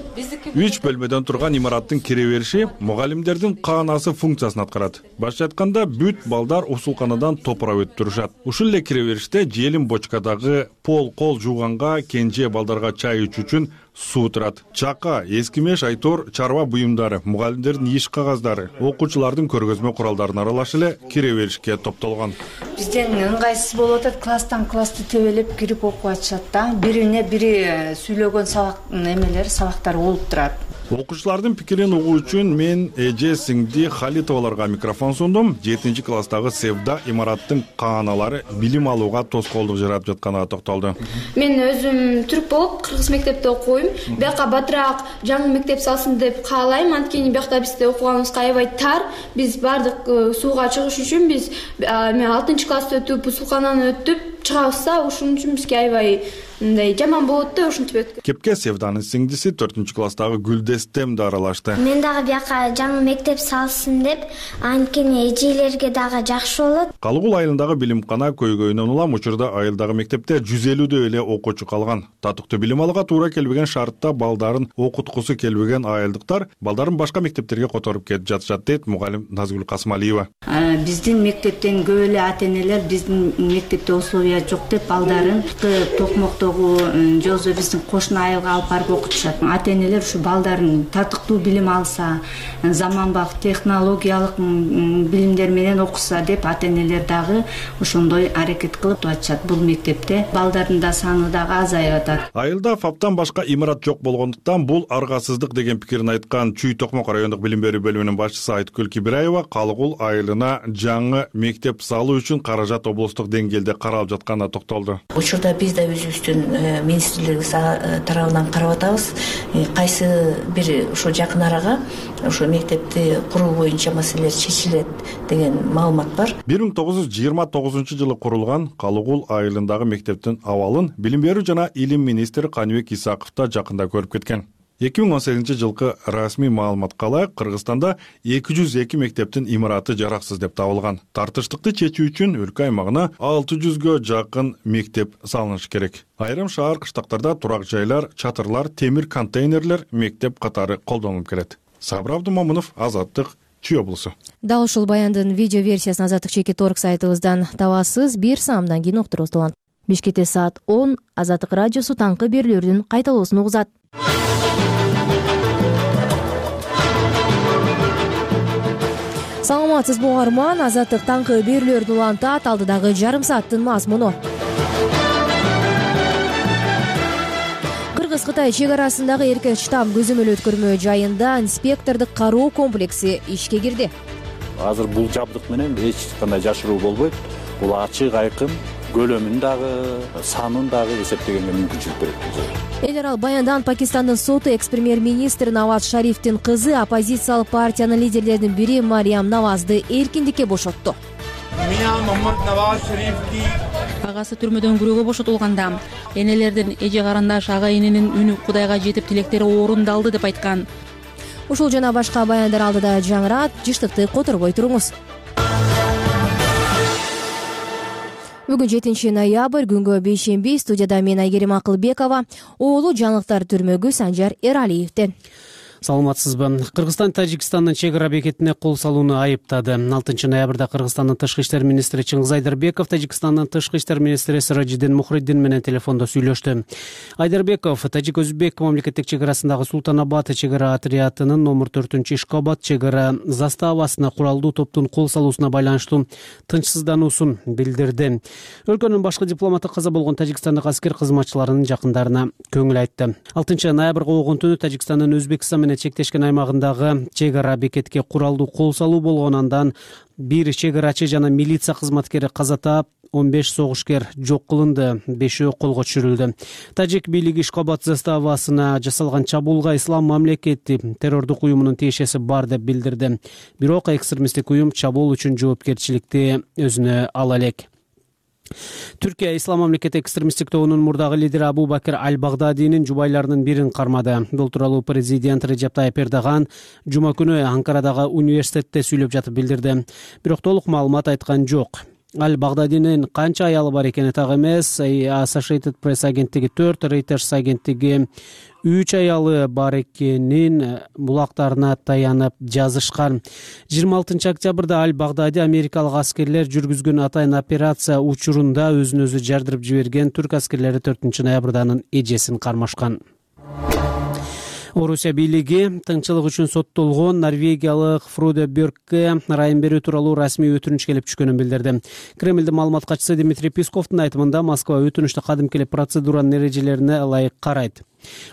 3 бөлмөдөн турган имараттын кире бериши мугалимдердин каанасы функциясын аткарат. Башкача айтканда, бүт балдар усулканадан топура өтүп турушат. Ушул эле кире бериште желим бочкадагы кол жууганга, кенже балдарга чай ичүү үчүн суу турат. Чака, эскимеш, айтор, чарба буюмдары, мугалимдердин иш кагаздары, окуучулардын көргөзмө куралдарын аралаш эле кире беришке топтолгон.
Бизден ыңгайсыз болуп атат, класстан классты тебелеп кирип окуп атышат да. Бирине бири сүйлөгөн сабактар болуп турат.
Окуучулардын пикирин угуу үчүн мен эже сиңди Халитоваларга микрофон сундум. 7-класстагы Севда имараттын кааналары билим алууга тоскоолдук жаратып жатканына токтолду.
Мен өзүм түрк болуп кыргыз мектепте окуйм. Бияка батыраак жаңы мектеп салсын деп каалайм. Анткени биякта бизде окуганыбызга аябай тар. Биз бардык сууга чыгыш үчүн мен 6-классты өтүп, усулкананы өтүп чыгабызда, ошон үчүн бизге аябай мындай жаман болот да, ошентип өткөн.
Кепке Севданын сиңдиси 4-класстагы Гүлдестем да аралашты.
Мен дагы бияка жаңы мектеп салсын деп, анткени эжелерге дагы жакшы болот.
Калыгул айылындагы билимкана көйгөйүнөн улам учурда айылдагы мектепте 150 эле окуучу калган. Татыктуу билим алууга туура келбеген шартта балдарын окуткусу келбеген айылдыктар балдарын башка мектептерге которуп кетип жатышат дейт мугалим Назгүл Касымалиева.
Биздин мектептен көп эле ата-энелер биздин мектепте условия жок деп балдарын Токмоктогу жозо биздин кошуна айылга алып барып окутушат. Ата-энелер ушу балдарын татыктуу билим алса, заманбап технологиялык билимдер менен окуса деп ата-энелер дагы ошондой аракет кылып атышат. Бул мектепте балдардын да саны дагы азайып атат.
Айылда ФАПтан башка имарат жок болгондуктан бул аргасыздык деген пикирин айткан Чүй Токмок райондук билим берүү бөлүмүнүн башчысы Айткүл Кибираева Калыгул айылына жаңы мектеп салуу үчүн каражат облустук деңгээлде каралып жатканына токтолду.
Учурда биз да өзүбүздүн министрлик тарабынан карап атабыз. Кайсы бир ушу жакын арага ушу мектепти куруу боюнча маселелер чечилет деген маалымат бар.
1929 жылы курулган Калыгул айылындагы мектептин абалын билим берүү жана илим министри Каныбек Исаков да жакында көрүп кеткен. 2018-жылкы расмий маалыматка ылайык Кыргызстанда 202 мектептин имараты жараксыз деп табылган. Тартыштыкты чечүү үчүн өлкө аймагына 600гө жакын мектеп салынышы керек. Айрым шаар кыштактарда турак жайлар, чатырлар, темир контейнерлер мектеп катары колдонулуп келет. Сабыр Абдумомунов, Азаттык, Чүй облусу.
Дал ушул баяндын видео версиясын Азаттык.org сайтыбыздан табасыз. Бир саамдан кийин уктуруңуз улан. Бишкекте саат 10 Азаттык радиосу таңкы берүүлөрдүн кайталоосун угузат. Саламатсызбы угарман, Азаттык таңкы берүүлөрдүн улантат. Алдыдагы жарым сааттын мазмуну. Кыргыз-Кытай чек арасындагы эркек штамм көзөмөл өткөрмө жайында инспектордук кароо комплекси ишке кирди.
Азыр бул жабдык менен эч кандай жашыруу болбойт. Бул ачык, айкын, көлөмүн дагы, санын дагы эсептегенге мүмкүнчүлүк берет.
Эл аралык баяндан Пакистандын соту экс-премьер-министр Наваз Шарифтин кызы оппозициялык партиянын лидерлеринин бири Мариям Навазды эркиндикке бошотту.
Агасы түрмөдөн күрөөгө бошотулганда энелердин эже карандаш ага эненин үнү Кудайга жетип тилектери орундалды деп айткан.
Ушул жана башка баяндар алдыда жаңырат, жыштыкты которбой туруңуз. Бүгүн 7 ноябрь, күнгө бейшемби, студияда мен Айгерим Акылбекова, оолу жаңылыктар түрмөгү Санжар Эралиевден.
Саламатсызбы. Кыргызстан Тажикстандын чек ара бекетине кол салууну айыптады. 6 ноябрда Кыргызстандын тышкы иштер министри Чыңгыз Айдарбеков Тажикстандын тышкы иштер министри Сиражиддин Мухриддин менен телефондо сүйлөштү. Айдарбеков Тажик-Өзбек мамлекеттик чек арасындагы Султан-Абад чек ара отрядынын номер 4-Ишкобад чек ара заставасына куралдуу топтун кол салуусуна байланыштуу тынчсыздануусун билдирди. Өлкөнүн башкы дипломаты каза болгон тажикстандык аскер кызматчыларынын жакындарына көңүл айтты. 6 ноябрга огон түнү Тажикстандын Өзбекстан чектешкен аймагындагы чек ара бекетке куралдуу кол салуу болгон, андан бир чек арачы жана милиция кызматкери каза таап, 15 согушкер жок кылынды, 5-өө колго түшүрүлдү. Тажик бийлиги Ишкобад заставасына жасалган чабуулга ислам мамлекети террордук уюмунун тиешеси бар деп билдирди. Бирок экстремисттик уюм чабуул үчүн жоопкерчиликти өзүнө ала элек. Түркия Ислам мамлекети экстремисттик тобунун мурдагы лидери Абу Бакир Аль-Багдадинин жубайларынын бирин кармады. Бул тууралуу президент Режеп Тайип Эрдоган жума күнү Анкарадагы университетте сүйлөп жатып билдирди. Бирок толук маалымат айткан жок. Аль-Багдадинин канча аялы бар экени так эмес. Associated Press агенттиги 4, Reuters агенттиги 3 аялы бар экенин булактарына таянып жазышкан. 26 октябрда Аль-Багдади америкалык аскерлер жүргүзгөн атайын операция учурунда өзүн өзү жардырып жиберген түрк аскерлери 4 ноябрда анын эжесин кармашкан. Орусия бийлиги тынччылык үчүн соттолгон норвегиялык Фроде Бьоркке ырайым берүү тууралуу расмий өтүнүч келип түшкөнүн билдирди. Кремлдин маалымат катчысы Дмитрий Песковдун айтымында Москва өтүнүштү кадимкилик процедуранын эрежелерине ылайык карайт.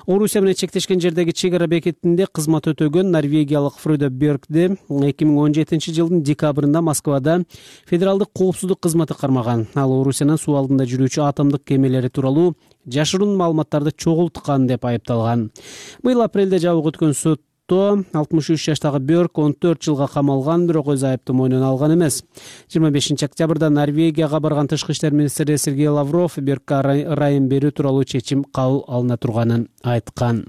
Орусия менен чектешкен жердеги чек ара бекетинде кызмат өтөгөн норвегиялык Фроде Бьоркди 2017 жылдын декабрында Москвада федералдык коопсуздук кызматы кармаган. Ал Орусиянын суу алдында жүрүүчү атомдук кемелери тууралуу жашыруун маалыматтарды чогулткан деп айыпталган. Быйыл апрелде жабык өткөн сотто 63 жаштагы Бьорк 14 жылга камалган, бирок өз айыпты мойнуна алган эмес. 25 октябрда Норвегияга барган тышкы иштер министри Сергей Лавров Бьоркка ырайым берүү тууралуу чечим кабыл алына турганын айткан.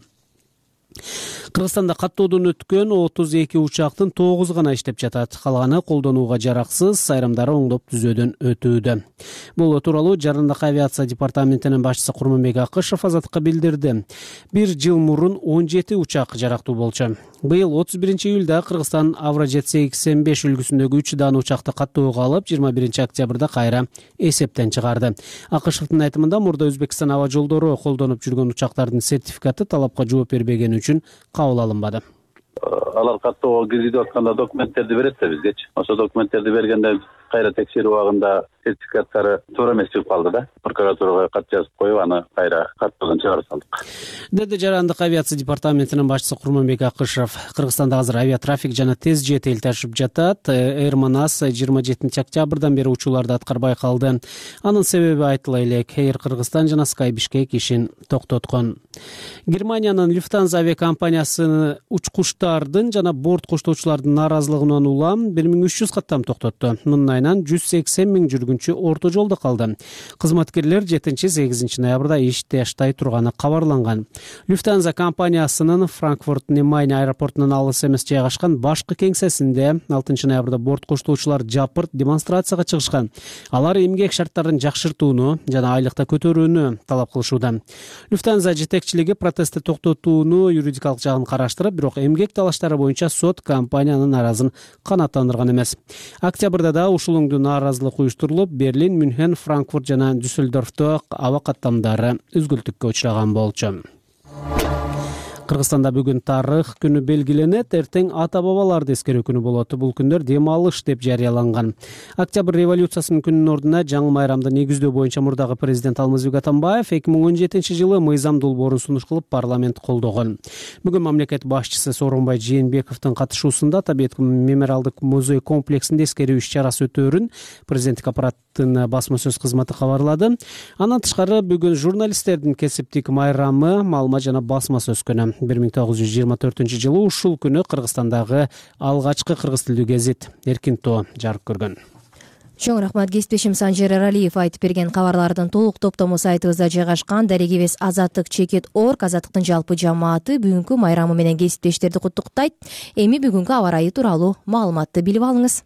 Кыргызстанда каттоодон өткөн 32 учактын 9 гана иштеп жатат. Калганы колдонууга жараксыз, айрымдары оңдоп түзөөдөн өтүүдө. Бул тууралуу Жарандык авиация департаментинин башчысы Курманбек Акышев Азаттыкка билдирди. Бир жыл мурун 17 учак жарактуу болчу. Быйыл 31 июлда Кыргызстан Авражет 85 үлгүсүндөгү 3 дан учакты каттоого алып, 21 октябрда кайра эсептен чыгарды. Акышевдин айтымында мурда Өзбекстан аба жолдору колдонуп жүргөн учактардын сертификаты талапка жооп бербегени үчүн кабыл алынбады.
Алар каттоого киргизип атканда документтерди берет да бизгечи. Ошо документтерди бергенде кайра текшерүү убагында сертификаттары туура эмес чыгып калды да. Прокуратурага кат жазып коюп, аны кайра каттоодон чыгарып салдык.
Деди Жарандык авиация департаментинин башчысы Курманбек Акышев. Кыргызстанда азыр авиатрафик жана тез жет элташып жатат. Air Manas 27 октябрдан бери учууларды аткарбай калды. Анын себеби айтыла элек. Air Кыргызстан жана Sky Bishkek ишин токтоткон. Германиянын Lufthansa авиакомпаниясы учкучтардын жана борт коштоочулардын нааразылыгынан улам 1300 каттам токтотту. Мындай айынан 180 000 жүргүнчү орто жолдо калды. Кызматкерлер 7-8 ноябрда иштей турганы кабарланган. Lufthansa компаниясынын Франкфурт-на-Майне аэропортунун алыс эмес жайгашкан башкы кеңсесинде 6 ноябрда борт коштоочулар жапырт демонстрацияга чыгышкан. Алар эмгек шарттарын жакшыртууну жана айлыкта көтөрүүнү талап кылышууда. Lufthansa жетекчилиги протестти токтотууну юридикалык жагын караштырып, бирок эмгек талаштары боюнча сот компаниянын нааразын канааттандырган эмес. Октябрда да ушул өңдүү нааразылык уюштурулуп, Берлин, Мюнхен, Франкфурт жана Дюссельдорфто аба каттамдары үзгүлтүккө учураган болчу. Кыргызстанда бүгүн тарых күнү белгиленет, эртең ата-бабаларды эскерүү күнү болот. Бул күндөр дем алыш деп жарыяланган. Октябрь революциясынын күнүнүн ордуна жаңы майрамды негиздөө боюнча мурдагы президент Алмазбек Атамбаев 2017 жылы мыйзам долбоорун сунуш кылып парламент колдогон. Бүгүн мамлекет башчысы Сооронбай Жээнбековдун катышуусунда Табиет мемориалдык музей комплексинде эскерүү иш-чарасы өтөөрүн президенттик аппараттын басма сөз кызматы кабарлады. Андан тышкары бүгүн журналисттердин кесиптик майрамы, маалымат жана басма сөз күнү. 1924 жылы ушул күнү Кыргызстандагы алгачкы кыргыз тилдүү гезит Эркин Тоо жарык көргөн.
Чоң рахмат, кесиптешим Санжер Эралиев айтып берген кабарлардын толук топтому сайтыбызда жайгашкан. Дарегибиз Азаттык.org, Азаттыктын жалпы жамааты бүгүнкү майрамы менен кесиптештерди куттуктайт. Эми бүгүнкү аба ырайы тууралуу маалыматты билип алыңыз.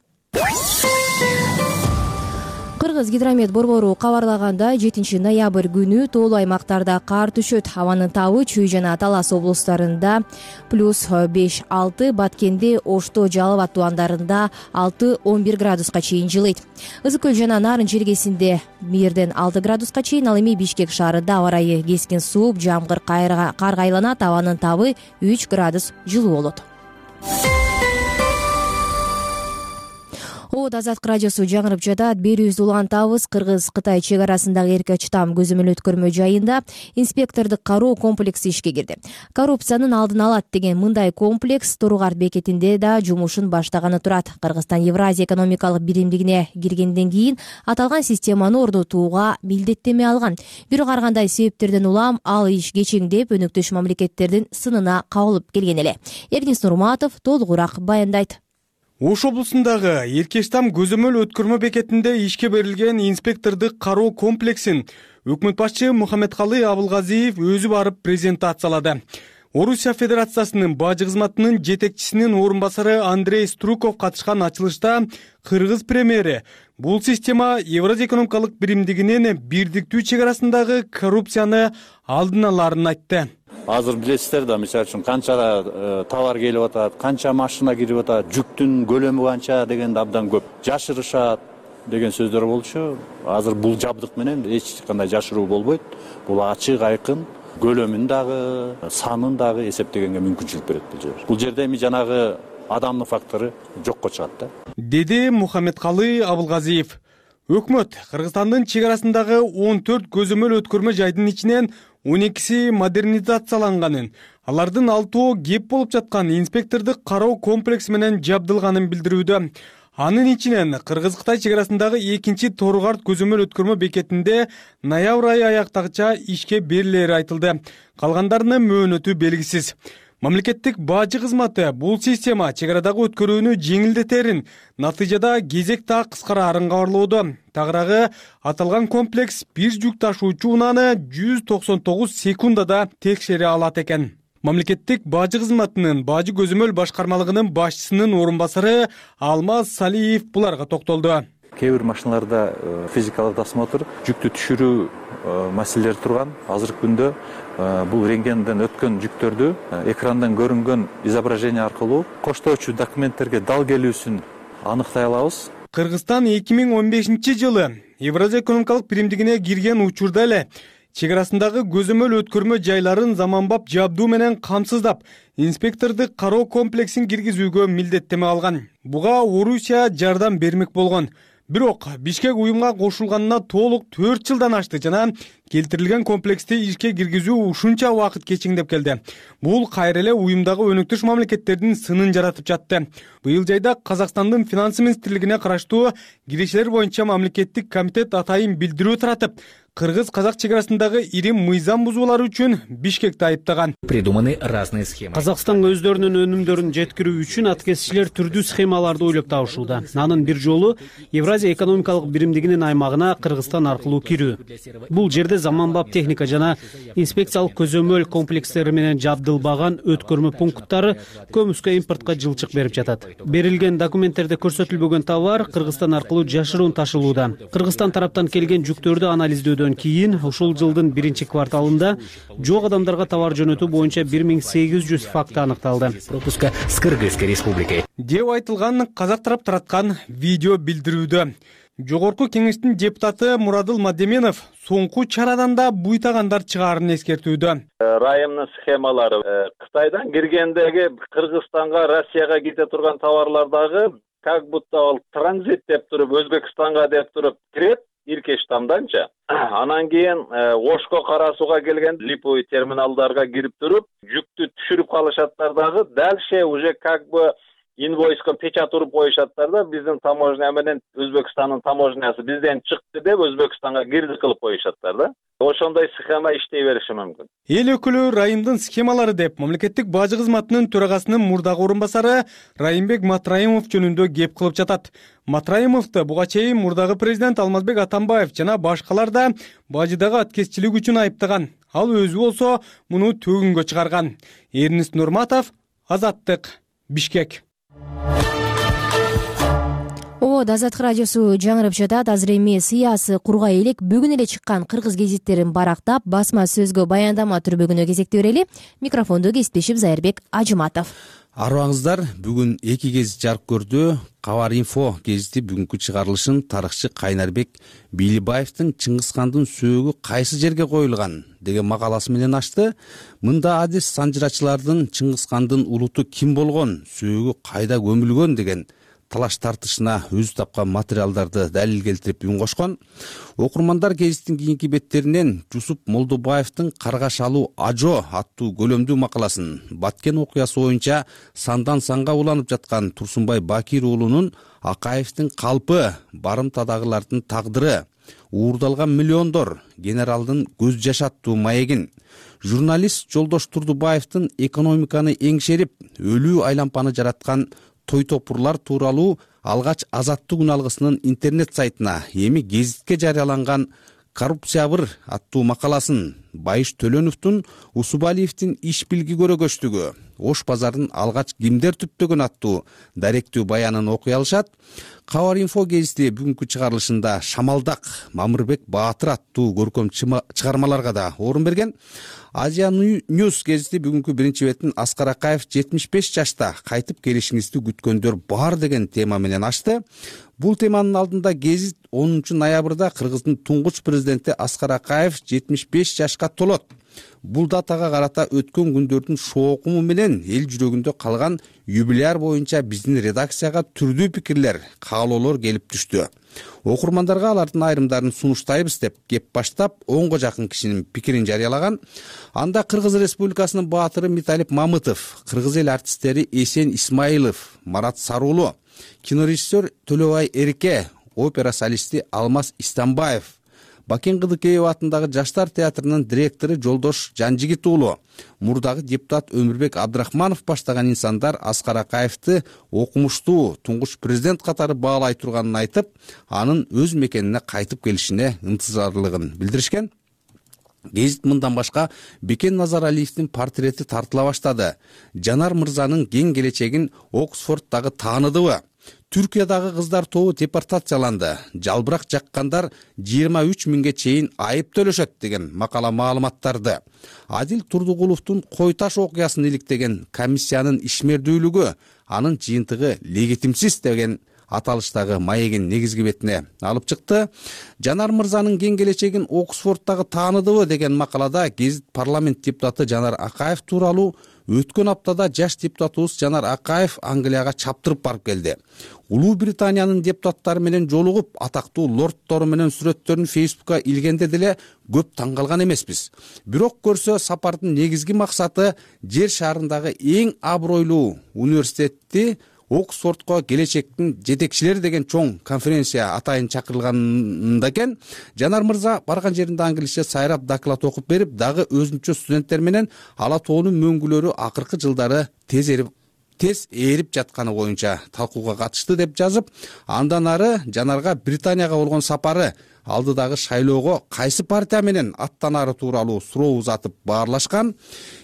Кыргыз гидромет борбору кабарлагандай, 7 ноябрь күнү тоолуу аймактарда кар түшөт. Абанын табы Чүй жана Талас облустарында +5-6, Баткенде, Ошто, Жалал Абад тубандарында 6-11 градуска чейин жылыйт. Ызык көл жана Нарын жергесинде 1-6 градуска чейин, ал эми Бишкек шаарында аба ырайы кескин сууп, жамгыр карга айланат. Абанын табы 3 градус жылуу болот. Азаттык радиосу жаңырып жатат. Берүүбүздү улантабыз. Кыргыз-Кытай чек арасындагы эрке чытам көзөмөл өткөрмө жайында инспектордук кароо комплекси ишке кирди. Коррупциянын алдын алат деген мындай комплекс Торугарт бекетинде да жумушун баштаганы турат. Кыргызстан Евразия экономикалык биримдигине киргенден кийин аталган системаны орнотууга милдеттеме алган. Бирок ар кандай себептерден улам ал иш кечеңдеп, өнөктөш мамлекеттердин сынына кабылып келген эле. Эргиз Нурматов толугураак баяндайт.
Ош облусундагы Эркештам көзөмөл өткөрмө бекетинде ишке берилген инспектордук кароо комплексин өкмөт башчы Мухаммедкалый Абылгазиев өзү барып презентациялады. Орусия Федерациясынын бажы кызматынын жетекчисинин орун басары Андрей Струков катышкан ачылышта кыргыз премьери бул система Евразия экономикалык биримдигинин бирдиктүү чек арасындагы коррупцияны алдын аларын айтты.
Азыр билесиздер да, мисалы үчүн канча товар келип атат, канча машина кирип атат, жүктүн көлөмү канча дегенди абдан көп жашырышат деген сөздөр болчу. Азыр бул жабдык менен эч кандай жашыруу болбойт. Бул ачык, айкын, көлөмүн дагы, санын дагы эсептегенге мүмкүнчүлүк берет бул жер. Бул жерде эми жанагы адамдын фактору жокко чыгат да. Деди
Мухаммедкалый Абылгазиев. Өкмөт Кыргызстандын чек арасындагы 14 көзөмөл өткөрмө жайдын ичинен 12си модернизацияланганын, алардын 6 кеп болуп жаткан инспектордук кароо комплекси менен жабдылганын билдирүүдө. Анын ичинен Кыргыз-Кытай чек арасындагы 2-чи Торугарт көзөмөл өткөрмө бекетинде ноябрь айы аяктагыча ишке берилери айтылды. Калгандарынын мөөнөтү белгисиз. Мамлекеттик бажы кызматы бул система чек арадагы өткөрүүнү жеңилдетерин, натыйжада кезек так кыскарарын кабарлоодо. Тагыраагы аталган комплекс бир жүк ташуучу унааны 199 секундада текшере алат экен. Мамлекеттик бажы кызматынын бажы көзөмөл башкармалыгынын башчысынын орун басары Алмаз Салиев буларга токтолду.
Кээ бир машиналарда физикалык досмотр, жүктү түшүрүү маселелери турган. Азыркы күндө бул рентгенден өткөн жүктөрдү экрандан көрүнгөн изображение аркылуу коштоочу документтерге дал келүүсүн аныктай алабыз.
Кыргызстан 2015 жылы Евразия экономикалык биримдигине кирген учурда эле чек арасындагы көзөмөл өткөрмө жайларын заманбап жабдуу менен камсыздап, инспектордук кароо комплексин киргизүүгө милдеттеме алган. Буга Орусия жардам бермек болгон. Бирок Бишкек уюмга кошулганына толук 4 жылдан ашты жана келтирилген комплексти ишке киргизүү ушунча убакыт кечиңдеп келди. Бул кайра эле уюмдагы өнөктөш мамлекеттердин сынын жаратып жатты. Быйыл жайда Казакстандын финанс министрлигине караштуу кирешелер боюнча мамлекеттик комитет атайын билдирүү таратып, кыргыз-казак чек арасындагы ири мыйзам бузуулары үчүн Бишкекти айыптаган.
Придуманы разные схемы.
Казакстанга өздөрүнүн өнүмдөрүн жеткирүү үчүн аткезчилер түрдүү схемаларды ойлоп табышууда. Анын бир жолу Евразия экономикалык биримдигинин аймагына Кыргызстан аркылуу кирүү. Бул жерде заманбап техника жана инспекциялык көзөмөл комплекстери менен жабдылбаган өткөрмө пункттары көмүскө импортко жылчык берип жатат. Берилген документтерде көрсөтүлбөгөн товар Кыргызстан аркылуу жашыруун ташылууда. Кыргызстан тараптан келген жүктөрдү анализдөөдөн кийин ушул жылдын 1-кварталында жок адамдарга товар жөнөтүү боюнча 1800 факт аныкталды.
Пропуска с Кыргызской республикой.
Деп айтылган казак тарап тараткан видео билдирүүдө. Жогорку кеңештин депутаты Мурадыл Мадеменов соңку чарадан да буйтагандар чыгаарын эскертүүдө.
Райымдын схемалары Кытайдан киргендеги Кыргызстанга, Россияга кете турган товарлардагы как будто ал транзит деп туруп, Өзбекстанга деп туруп кирет. Иркеш тамданча. Анан кийин Ошко карасууга келген липовый терминалдарга кирип туруп, жүктү түшүрүп калышаттар дагы. Дальше уже как бы инвойско печать уруп коюшаттар да, биздин таможня менен Өзбекстандын таможнясы бизден чыкты деп Өзбекстанга кирди кылып коюшаттар да. Ошондой схема иштей бериши мүмкүн.
Эл өкүлү райымдын схемалары деп мамлекеттик бажы кызматынын төрагасынын мурдагы орун басары Райымбек Матраимов жөнүндө кеп кылып жатат. Матраимовду буга чейин мурдагы президент Алмазбек Атамбаев жана башкалар да бажыдагы аткезчилик үчүн айыптаган. Ал өзү болсо муну төгүнгө чыгарган. Эрнист Нурматов, Азаттык, Бишкек.
Азаттык радиосу жаңырып жатат. Азыр эми сыясы кургай элек бүгүн эле чыккан кыргыз гезиттерин барактап, басма сөзгө баяндама түрбөгүнө кезекти берели. Микрофондо кесиптешим Зайырбек Ажыматов.
Арыбаңыздар, бүгүн 2 гезит жарык көрдү. Кабар инфо гезити бүгүнкү чыгарылышын тарыхчы Кайнарбек Бийлибаевдин Чыңгызхандын сөөгү кайсы жерге коюлган деген макаласы менен ачты. Мында адис санжырачылардын Чыңгызхандын улуту ким болгон, сөөгү кайда көмүлгөн деген талаш тартышына өзү тапкан материалдарды далил келтирип үн кошкон. Окурмандар гезиттин кийинки беттеринен Жусуп Молдобаевдин Каргаш алуу Ажо аттуу көлөмдүү макаласын, Баткен окуясы боюнча сандан санга уланып жаткан Турсунбай Бакир уулунун Акаевдин калпы, барымтадагылардын тагдыры, уурдалган миллиондор, генералдын көз жаш аттуу маегин, журналист Жолдош Турдубаевдин экономиканы эңшерип, өлүү айлампаны жараткан той топурлар тууралуу алгач Азаттык күн алгысынын интернет сайтына, эми гезитке жарыяланган Коррупциябыр аттуу макаласын, Байыш Төлөнөвдүн Усубалиевдин иш билги көрөгөчтүгү, Ош базарын алгач кимдер түптөгөн аттуу даректүү баянын окуй алышат. Кабар инфо гезити бүгүнкү чыгарылышында Шамалдак, Мамырбек Баатыр аттуу көркөм чыгармаларга да орун берген. Азия Ньюс гезити бүгүнкү биринчи бетин Аскар Акаев 75 жашта кайтып келишиңизди күткөндөр бар деген тема менен ачты. Бул теманын алдында гезит 10 ноябрда Кыргыздын туңгуч президенти Аскар Акаев 75 жашка толот. Бул датага карата өткөн күндөрдүн шоокуму менен эл жүрөгүндө калган юбилеар боюнча биздин редакцияга түрдүү пикирлер, каалоолор келип түштү. Окурмандарга алардын айрымдарын сунуштайбыз деп кеп баштап 10го жакын кишинин пикирин жарыялаган. Анда Кыргыз Республикасынын баатыры Миталип Мамытов, кыргыз эл артисттери Эсен Исмаилов, Марат Саруулу, кинорежиссер Төлөбай Эрике, опера солисти Алмаз Истамбаев, Бакен Кыдыкеев атындагы Жаштар театрынын директору Жолдош Жанжигит уулу, мурдагы депутат Өмүрбек Абдрахманов баштаган инсандар Аскар Акаевди окумуштуу туңгуч президент катары баалай турганын айтып, анын өз мекенине кайтып келишине ынтызарлыгын билдиришкен. Гезит мындан башка Бекен Назаралиевдин портрети тартыла баштады. Жанар мырзанын кең келечегин Оксфорддагы тааныдыбы? Түркиядагы кыздар тобу депортацияланды. Жалбырак жаккандар 23 миңге чейин айып төлөшөт деген макала маалыматтарды. Адил Турдугуловдун Койташ окуясын иликтеген комиссиянын ишмердүүлүгү, анын жыйынтыгы легитимсиз деген аталыштагы маегин негизги бетине алып чыкты. Жанар мырзанын кең келечегин Оксфорддагы тааныдыбы деген макалада гезит парламент депутаты Жанар Акаев тууралуу өткөн аптада жаш депутатыбыз Жанар Акаев Англияга чаптырып барып келди. Улуу Британиянын депутаттары менен жолугуп, атактуу лордтору менен сүрөттөрүн Фейсбукка илгенде деле көп таң калган эмеспиз. Бирок көрсө сапардын негизги максаты жер шарындагы эң абройлуу университетти Оксфордко келечектин жетекчилери деген чоң конференция атайын чакырылганда экен. Жанар мырза барган жеринде англисче сайрап доклад окуп берип, дагы өзүнчө студенттер менен Ала тоонун мөңгүлөрү акыркы жылдары тез ээрип жатканы боюнча талкууга катышты деп жазып, андан ары Жанарга Британияга болгон сапары, алдыдагы шайлоого кайсы партия менен аттанары тууралуу суроо узатып баарлашкан.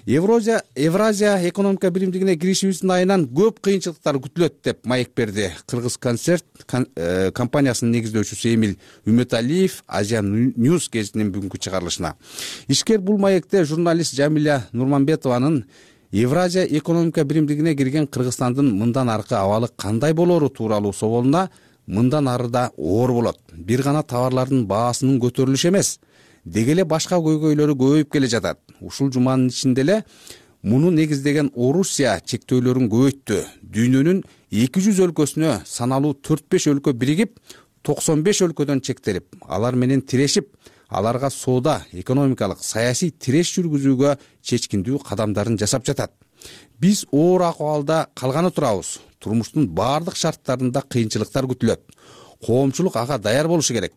Евразия экономика биримдигине киришибиздин айынан көп кыйынчылыктар күтүлөт деп маек берди Кыргыз концерт компаниясынын негиздөөчүсү Эмил Үмөталиев Азия Ньюс гезитинин бүгүнкү чыгарылышына. Ишкер бул маекте журналист Жамиля Нурманбетованын Евразия экономика биримдигине кирген Кыргызстандын мындан аркы абалы кандай болору тууралуу соолуна мындан ары да оор болот. Бир гана товарлардын баасынын көтөрүлүшү эмес, деги эле башка көйгөйлөрү көбөйүп келе жатат. Ушул жуманын ичинде эле муну негиздеген Орусия чектөөлөрүн көбөйттү. Дүйнөнүн 200 өлкөсүнө саналуу 4-5 өлкө биригип, 95 өлкөдөн чектелип, алар менен тирешип, аларга соода, экономикалык, саясий тиреш жүргүзүүгө чечкиндүү кадамдарын жасап жатат. Биз оор акыбалда калганы турабыз. Турмуштун баардык шарттарында кыйынчылыктар күтүлөт. Коомчулук ага даяр болушу керек.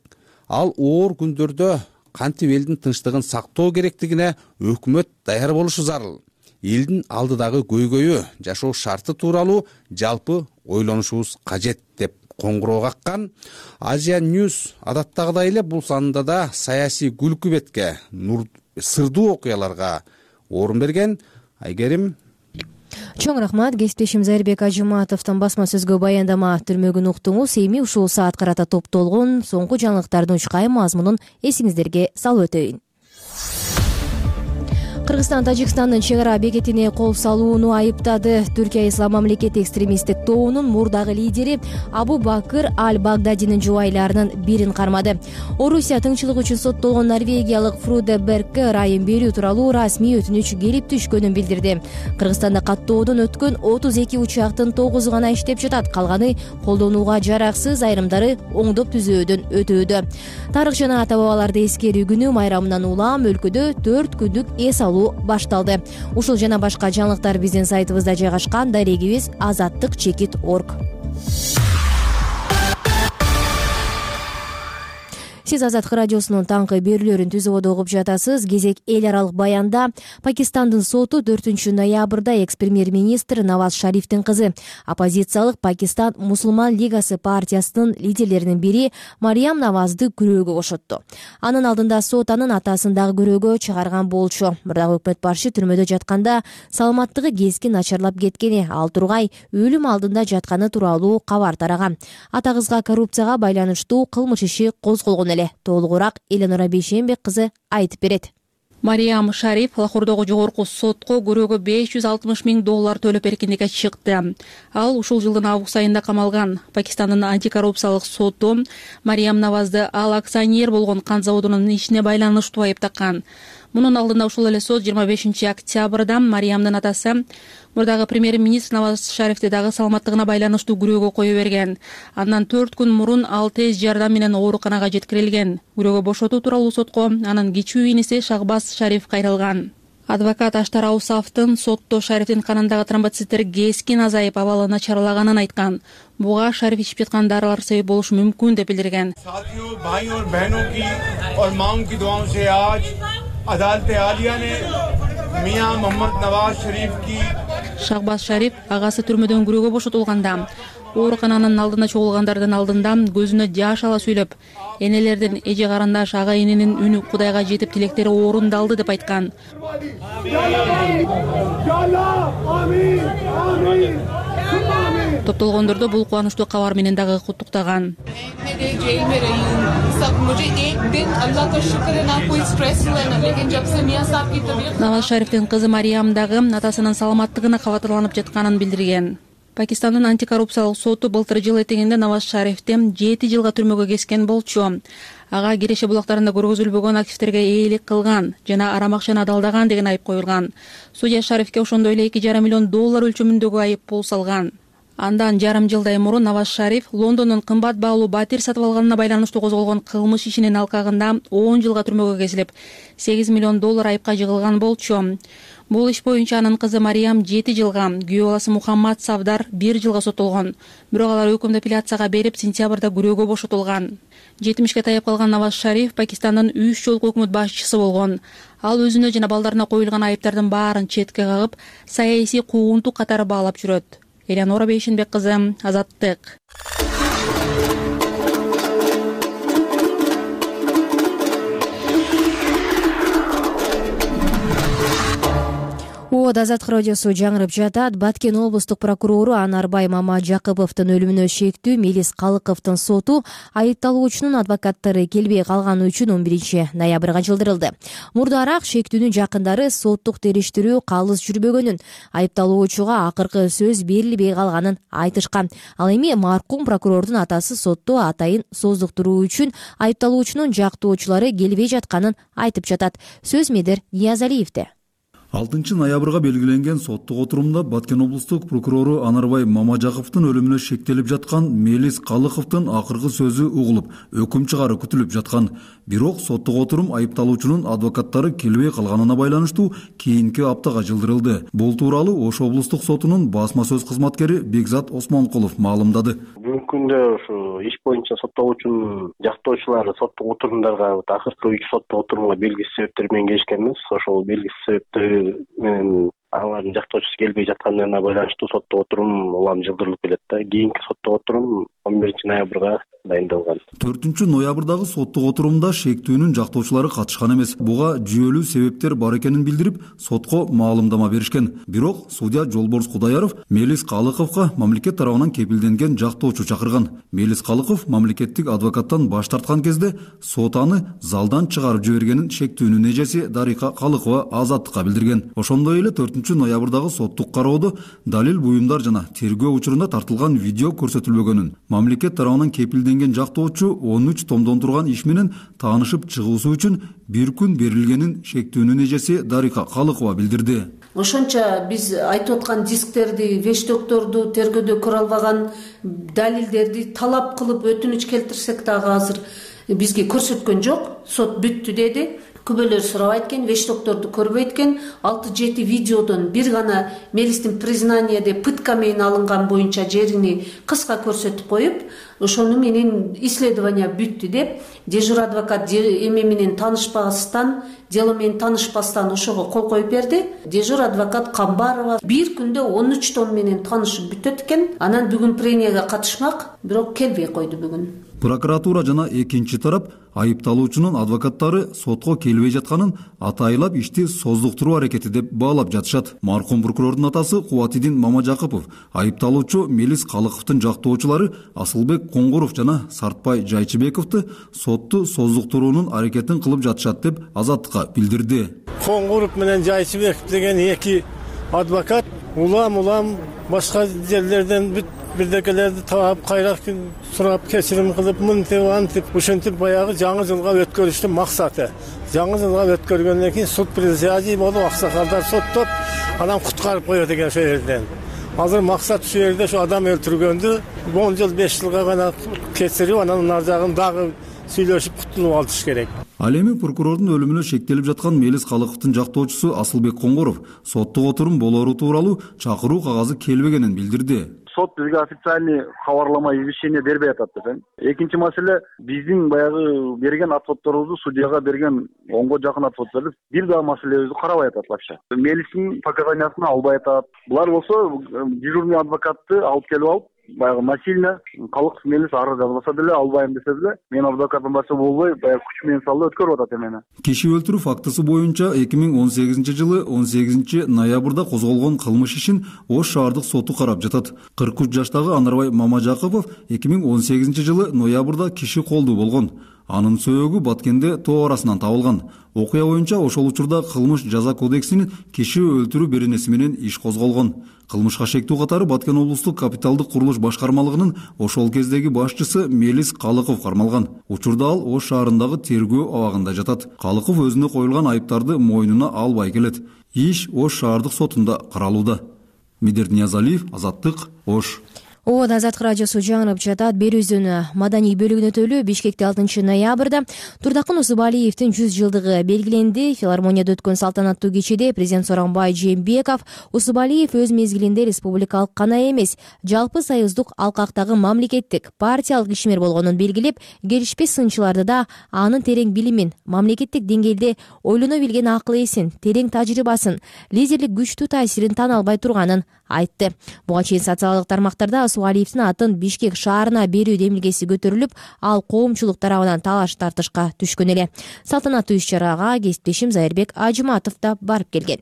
Ал оор күндөрдө кантип элдин тынчтыгын сактоо керектигине өкмөт даяр болушу зарыл. Элдин алдыдагы көйгөйү, жашоо шарты тууралуу жалпы ойлонушубуз кажет деп коңгуроо каккан. Азия Ньюс адаттагыдай эле бул санында да саясий күлкү бетке, сырдуу окуяларга орун берген. Айгерим.
Чоң рахмат. Кесиптешим Зайырбек Ажыматовдун басма сөзгө баяндама түрмөгүн уктуңуз. Эми ушул саат карата топтолгон соңку жаңылыктардын учкай мазмунун эсиңиздерге салып өтөйүн. Кыргызстан Тажикстандын чек ара бекетине кол салууну айыптады. Түркия Ислам мамлекети экстремисттик тобунун мурдагы лидери Абу Бакыр Аль-Багдадинин жубайларынын бирин кармады. Орусия тыңчылык үчүн соттолгон норвегиялык Фруде Бергке ырайым берүү тууралуу расмий өтүнүч келип түшкөнүн билдирди. Кыргызстанда каттоодон өткөн 32 учактын 9 гана иштеп жатат. Калганы колдонууга жараксыз, айрымдары оңдоп түзөөдөн өтүүдө. Тарых жана ата бабаларды эскерүү күнү майрамынан улам өлкөдө 4 күндүк эс башталды. Ушул жана башка жаңылыктар биздин сайтыбызда жайгашкан. Дарегибиз azattik.org. Сиз Азаттык радиосунун таңкы берүүлөрүн түзүп угуп жатасыз. Кезек эл аралык баянда Пакистандын соту 4 ноябрда экс-премьер-министр Наваз Шарифтин кызы, оппозициялык Пакистан Мусулман лигасы партиясынын лидерлеринин бири Мариям Навазды күрөөгө бошотту. Анын алдында сот анын атасын дагы күрөөгө чыгарган болчу. Бирок өкмөт башы түрмөдө жатканда саламаттыгы кескин начарлап кеткени, ал тургай өлүм алдында жатканы тууралуу кабар тараган. Ата кызга коррупцияга байланыштуу кылмыш иши козголгон эле. Толугураак Эленора Бейшембек кызы айтып берет.
Мариям Шариф Лахордогу жогорку сотко күрөөгө $560 000 төлөп эркиндикке чыкты. Ал ушул жылдын август айында камалган. Пакистандын антикоррупциялык соту Мариям Навазды ал акционер болгон кант заводунун ишине байланыштуу айыптаган. Мунун алдында ушул эле сот 25 октябрда Мариямдын атасы мурдагы премьер-министр Наваз Шарифти дагы саламаттыгына байланыштуу күрөөгө кое берген. Андан 4 күн мурун ал тез жардам менен ооруканага жеткирилген. Күрөөгө бошотуу тууралуу сотко анын кичүү иниси Шахбаз Шариф кайрылган. Адвокат Аштар Аусафтын сотто Шарифтин канындагы тромбоциттер кескин азайып, абалы начарлаганын айткан. Буга Шариф ичип жаткан дарылар себеп болушу мүмкүн деп билдирген. Шахбаз Шариф агасы түрмөдөн күрөөгө бошотулганда оорукананын алдында чогулгандардын алдында көзүнө жаш ала сүйлөп, энелердин эже карандаш ага эненин үнү Кудайга жетип тилектери орундалды деп айткан. Топтолгондорду бул кубанычтуу кабар менен дагы куттуктаган. Наваз Шарифтин кызы Мариям дагы атасынын саламаттыгына кабатырланып жатканын билдирген. Пакистандын антикоррупциялык соту былтыр жыл этегинде Наваз Шарифти 7 жылга түрмөгө кескен болчу. Ага Киреше булактарында көргөзүлбөгөн активдерге ээлик кылган жана арам акчаны адалдаган деген айып коюлган. Судья Шарифке ошондой эле $2,5 миллион өлчөмүндөгү айып пул салган. Андан жарым жылдай мурун Наваз Шариф Лондондон кымбат баалуу батир сатып алганына байланыштуу козголгон кылмыш ишинин алкагында 10 жылга түрмөгө кесилип, $8 миллион айыпка жыгылган болчу. Бул иш боюнча анын кызы Мариям 7 жылга, күйөө баласы Мухаммад Савдар 1 жылга соттолгон. Бирок алар өкүмдү апелляцияга берип, сентябрда күрөөгө бошотулган. 70-ке таяп калган Наваз Шариф Пакистандын 3 жолку өкмөт башчысы болгон. Ал өзүнө жана балдарына коюлган айыптардын баарын четке кагып, саясий куугунтук катары баалап жүрөт. Элянора Бейшенбек кызы, Азаттык.
Азаттык радиосу жаңырып жатат. Баткен облустук прокурору Анарбай Мамажакыповдун өлүмүнө шектүү Мелис Калыковдун соту айыпталуучунун адвокаттары келбей калганы үчүн 11-ноябрга жылдырылды. Мурдараак шектүүнүн жакындары соттук териштирүү калыс жүрбөгөнүн, айыпталуучуга акыркы сөз берилбей калганын айтышкан. Ал эми маркум прокурордун атасы сотто атайын создуктуруу үчүн айыпталуучунун жактоочулары келбей жатканын айтып жатат. Сөз Медер Ниязалиевде.
6-ноябрга белгиленген соттук отурумда Баткен облустук прокурору Анарбай Мамажаковдун өлүмүнө шектелип жаткан Мелис Калыковдун акыркы сөзү угулуп, өкүм чыгаруу күтүлүп жаткан. Бирок соттук отурум айыпталуучунун адвокаттары келбей калганына байланыштуу кийинки аптага жылдырылды. Бул тууралуу Ош облустук сотунун басма сөз кызматкери Бекзат Осмонкулов маалымдады.
Бүгүнкү күндө ушу иш боюнча соттолуучунун жактоочулары соттук отурумдарга акыркы 3 соттук отурумга белгисиз себептер менен келишкенбиз. Ошол белгисиз себептер менен алардын жактоочусу келбей жатканына байланыштуу соттук отурум улам жылдырылып келет да. Кийинки соттук отурум 11-ноябрга дайындалган.
4-ноябрдагы соттук отурумда шектүүнүн жактоочулары катышкан эмес. Буга жүйөлүү себептер бар экенин билдирип, сотко маалымдама беришкен. Бирок судья Жолборс Кудаяров Мелис Калыковго мамлекет тарабынан кепилденген жактоочу чакырган. Мелис Калыков мамлекеттик адвокаттан баш тарткан кезде сот аны залдан чыгарып жибергенин шектүүнүн эжеси Дарика Калыкова Азаттыкка билдирген. Ошондой эле 4-ноябрдагы соттук кароодо далил буюмдар жана тергөө учурунда тартылган видео көрсөтүлбөгөнүн, мамлекет тарабынан кепилденген жактоочу 13 томдон турган иш менен таанышып чыгуусу үчүн 1 күн берилгенин шектүүнүн эжеси Дарика Калыкова билдирди.
Ошончо биз айтып аткан дисктерди, вештокторду тергөөдө көрө албаган далилдерди талап кылып өтүнүч келтирсек дагы азыр бизге көрсөткөн жок. Сот бүттү деди. Күбөлөр сурабайт экен, вештокторду көрбөйт экен. 6-7 видеодон бир гана Мелистин признание деп пытка менен алынган боюнча жерини кыска көрсөтүп коюп, ошону менен исследование бүттү деп дежур адвокат эме менен таанышпастан, дело менен таанышпастан ошого кол коюп берди. Дежур адвокат Камбарова бир күндө 13 том менен таанышып бүтөт экен. Анан бүгүн пренияга катышмак, бирок келбей койду бүгүн.
Прокуратура жана экинчи тарап айыпталуучунун адвокаттары сотко келбей жатканын атайлап ишти создуктуруу аракети деп баалап жатышат. Маркум прокурордун атасы Кубатидин Мамажакыпов айыпталуучу Мелис Калыковдун жактоочулары Асылбек Коңгуров жана Сартбай Жайчыбековду сотту создуктуруунун аракетин кылып жатышат деп Азаттыкка билдирди.
Коңгуров менен Жайчыбеков деген эки адвокат улам башка жерлерден бирдекелерди таап кайра сурап кечирим кылып мынтип антип ушинтип баягы жаңы жылга өткөрүштүн максаты. Жаңы жылга өткөргөндөн кийин суд присяжный болуп аксакалдар соттоп анан куткарып коет экен ошол жерден. Азыр максат ушул жерде ошо адам өлтүргөндү 10 жыл 5 жылга гана кечирип анан нар жагын дагы сүйлөшүп кутулуп алыш керек.
Ал эми прокурордун өлүмүнө шектелип жаткан Мелис Калыковдун жактоочусу Асылбек Коңгуров соттук отурум болору тууралуу чакыруу кагазы келбегенин билдирди.
Сот бизге официальный кабарлама извещение бербей атат деп. Экинчи маселе, биздин баягы берген отчетторубузду судьяга берген 10го жакын отчетторду бир дагы маселебизди карабай атат вообще. Мелистин показаниясын албай атат. Булар болсо дежурный адвокатты алып келип алып, баягы насильно Калыков Мелис арыз жазбаса деле албайм десе деле, мен адвокатым баса болбой, баягы күч менен салып өткөрүп атат эмени.
Киши өлтүрүү фактысы боюнча 2018-жылы 18-ноябрда козголгон кылмыш ишин Ош шаардык соту карап жатат. 43 жаштагы Анарбай Мамажакыпов 2018-жылы ноябрда киши колдуу болгон. Анын сөөгү Баткенде тоо арасынан табылган. Окуя боюнча ошол учурда кылмыш жаза кодексинин киши өлтүрүү беренеси менен иш козголгон. Кылмышка шектүү катары Баткен облустук капиталдык курулуш башкармалыгынын ошол кездеги башчысы Мелис Калыков кармалган. Учурда ал Ош шаарындагы тергөө абагында жатат. Калыков өзүнө коюлган айыптарды мойнуна албай келет. Иш Ош шаардык сотунда каралууда. Медерт Ниязалиев, Азаттык, Ош.
Ооба, Азаттык радиосу жаңырып жатат. Берүүбүздүн маданий бөлүгүнө өтөлү. Бишкекте 6 ноябрда Турдакын Усубалиевдин 100 жылдыгы белгиленди. Филармонияда өткөн салтанаттуу кечеде президент Сооронбай Жээнбеков Усубалиев өз мезгилинде республикалык гана эмес, жалпы союздук алкактагы мамлекеттик партиялык ишмер болгонун белгилеп, келишпес сынчыларды да анын терең билимин, мамлекеттик деңгээлде ойлоно билген акыл эсин, терең тажрыйбасын, лидерлик күчтүү таасирин тана албай турганын айтты. Буга чейин социалдык тармактарда Усубалиевдин атын Бишкек шаарына берүү демилгеси көтөрүлүп, ал коомчулук тарабынан талаш тартышка түшкөн эле. Салтанаттуу иш-чарага кесиптешим Зайырбек Ажыматов да барып келген.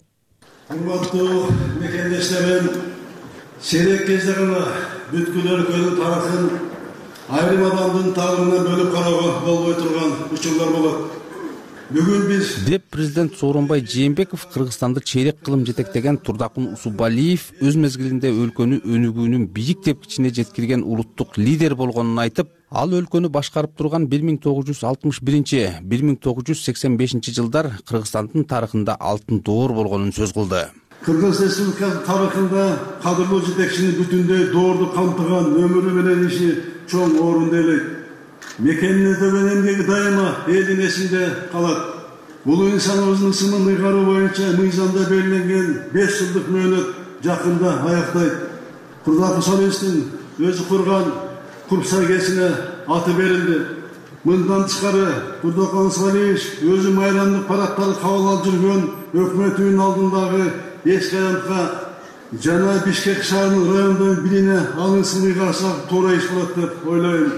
Урматтуу мекендештерим, сейрек кезде гана бүткүл өлкөнүн тарыхын айрым адамдын таарынан бөлүп кароого болбой турган учурлар болот. Бүгүн биз
деп президент Сооронбай Жээнбеков Кыргызстанды чейрек кылым жетектеген Турдакын Усубалиев өз мезгилинде өлкөнү өнүгүүнүн бийик тепкичине жеткирген улуттук лидер болгонун айтып, ал өлкөнү башкарып турган 1961-1985 жылдар Кыргызстандын тарыхында алтын доор болгонун сөз кылды.
Кыргыз Республикасынын тарыхында кадырлуу жетекчини бүтүндөй доорду камтыган өмүрү менен иши чоң орунду ээлейт. Мекенине төгөн эмгеги дайыма элдин эсинде калат. Бул инсаныбыздын ысымын ыйгаруу боюнча мыйзамда белгиленген 5 жылдык мөөнөт жакында аяктайт. Турдакын Усубалиевдин өзү курган Курпсай кесине аты берилди. Мындан тышкары Турдакын Усубалиев өзү майрамдык парадтарды кабыл алып жүргөн өкмөт үйүнүн алдындагы эски аянтка жана Бишкек шаарынын райондун бирине алынсын ыйгарсак туура иш болот деп ойлойм.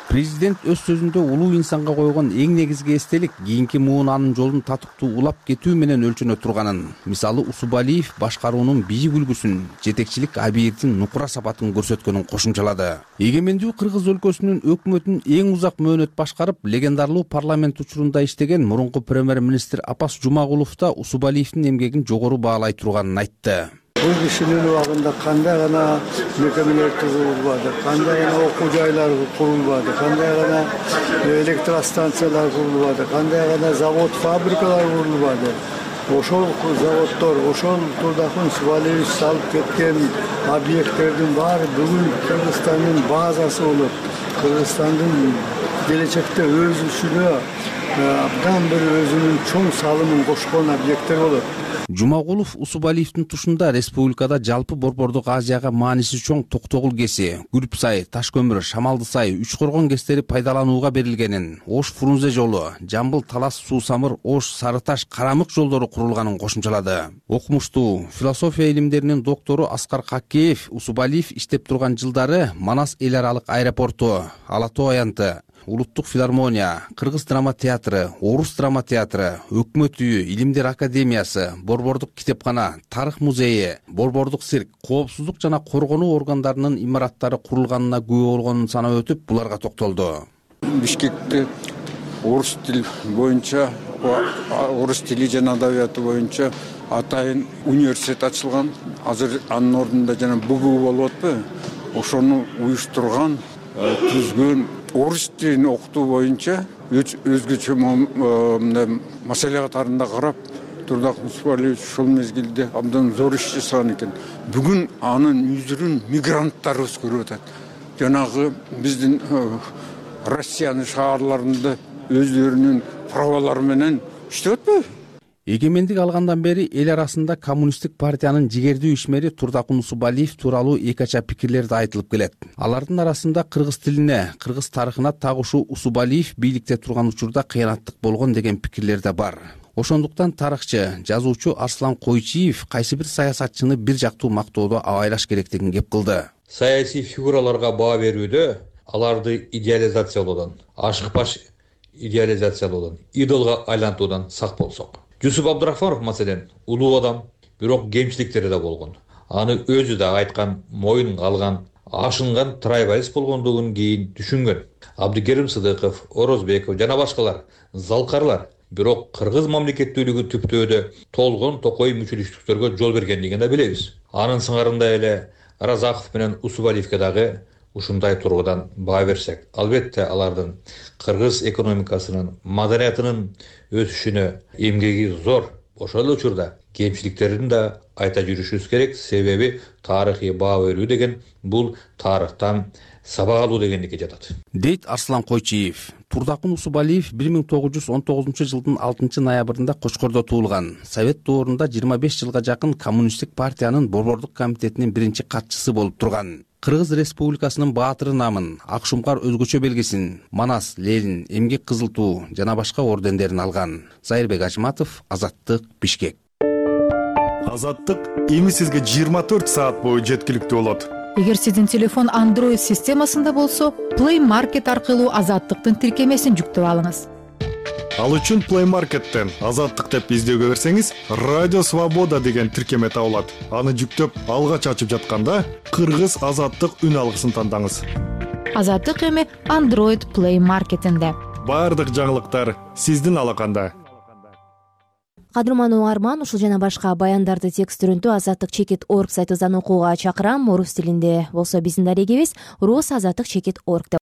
Президент өз сөзүндө улуу инсанга койгон эң негизги эстелик кийинки муун анын жолун татыктуу улап кетүү менен өлчөнө турганын, мисалы Усубалиев башкаруунун бийик үлгүсүн, жетекчилик абийирдин нукура сапатын көрсөткөнүн кошумчалады. Эгемендүү Кыргыз өлкөсүнүн өкмөтүн эң узак мөөнөт башкарып, легендарлуу парламент учурунда иштеген мурунку премьер-министр Апас Жумагулов да Усубалиевдин эмгегин жогору баалай турганын айтты.
Бул кишинин убагында кандай гана мекемелер турулбады, кандай гана окуу жайлар курулбады, кандай гана электростанциялар курулбады, кандай гана завод, фабрикалар курулбады. Ошол заводдор, ошол Турдакын Усубалиев салып кеткен объекттердин баары бүгүн Кыргызстандын базасы болот. Кыргызстандын келечекте өсүшүнө абдан бир өзүнүн чоң салымын кошкон объекттер болот.
Жумагулов Усубалиевдин тушунда республикада жалпы Борбордук Азияга мааниси чоң Токтогул кеси, Күрпсай, Ташкөмүр, Шамалдысай, Үч-Коргон кестери пайдаланууга берилгенин, Ош Фрунзе жолу, Жамбыл Талас Суу-Самыр, Ош Сарыташ Карамык жолдору курулганын кошумчалады. Окумуштуу философия илимдеринин доктору Аскар Какеев Усубалиев иштеп турган жылдары Манас эл аралык аэропорту, Ала Тоо аянты, Улуттук филармония, Кыргыз драма театры, Орус драма театры, Өкмөт үйү, Илимдер академиясы, Борбордук китепкана, Тарых музейи, Борбордук цирк, коопсуздук жана коргонуу органдарынын имараттары курулганына күбө болгонун санап өтүп, буларга токтолду.
Бишкекте орус тил боюнча, орус тили жана адабияты боюнча атайын университет ачылган. Азыр анын ордунда жана БГУ болуп атпайбы? Ошону уюштурган, түзгөн орус тилин окутуу боюнча өзгөчө маселе катарында карап, Турдакын Усубалиев ушул мезгилде абдан зор иш жасаган экен. Бүгүн анын жүзүрүн мигранттар өзгөрүп атат. Жанагы биздин Россиянын шаарларында өздөрүнүн правалары менен иштеп атпайбы?
Эгемендик алгандан бери эл арасында коммунисттик партиянын жигердүү ишмери Турдакын Усубалиев тууралуу эки ача пикирлер да айтылып келет. Алардын арасында кыргыз тилине, кыргыз тарыхына тагышуу Усубалиев бийликте турган учурда кыянаттык болгон деген пикирлер да бар. Ошондуктан тарыхчы, жазуучу Арслан Койчиев кайсы бир саясатчыны бир жактуу мактоодо абайлаш керектигин кеп кылды.
Саясий фигураларга баа берүүдө аларды идеализациялоодон, ашык-баш идеализациялоодон, идолго айлантуудан сак болсок. Жусуп Абдрахманов маселен улуу адам, бирок кемчиликтери да болгон. Аны өзү да айткан, моюнга алган. ашынган трайбалист болгондугун кийин түшүнгөн. Абдыкерим Сыдыков, Орозбеков жана башкалар залкарлар. Бирок кыргыз мамлекеттүүлүгү түптөөдө толгон токой мүчөлүштүктөргө жол бергендигин да билебиз. Анын сыңарында эле Разаков менен Усубалиевке дагы ушундай тургудан баа берсек, албетте алардын кыргыз экономикасынын, маданиятынын өсүшүнө эмгеги зор. Ошол эле учурда кемчиликтерин да айта жүрүшүбүз керек, себеби тарыхый баа берүү деген бул тарыхтан сабак алуу дегендикке жатат,
дейт Арслан Койчиев. Турдакун Усубалиев 1919 жылдын 6 ноябрында Кочкордо туулган. Совет доорунда 25 жылга жакын Коммунисттик партиянын борбордук комитетинин биринчи катчысы болуп турган. Кыргыз Республикасынын баатыры намын, Акшумкар өзгөчө белгисин, Манас, Ленин, Эмгек Кызыл Туу жана башка ордендерин алган. Зайырбек Ажматов, Азаттык, Бишкек.
Азаттык эми сизге 24 саат бою жеткиликтүү болот.
Эгер сиздин телефон Android системасында болсо, Play Market аркылуу Азаттыктын тиркемесин жүктөп алыңыз.
Ал үчүн Play Market'тен Азаттык деп издөөгө берсеңиз, Радио Свобода деген тиркеме табылат. Аны жүктөп, алгач ачып жатканда Кыргыз Азаттык үн алгысын тандаңыз.
Азаттык эми Android Play Market'инде.
Бардык жаңылыктар сиздин алаканда.
Кадырман угарман, ушул жана башка баяндарды текст түрүндө azattik.org сайтыбыздан окууга чакырам. Орус тилинде болсо биздин дарегибиз rus.azattik.org.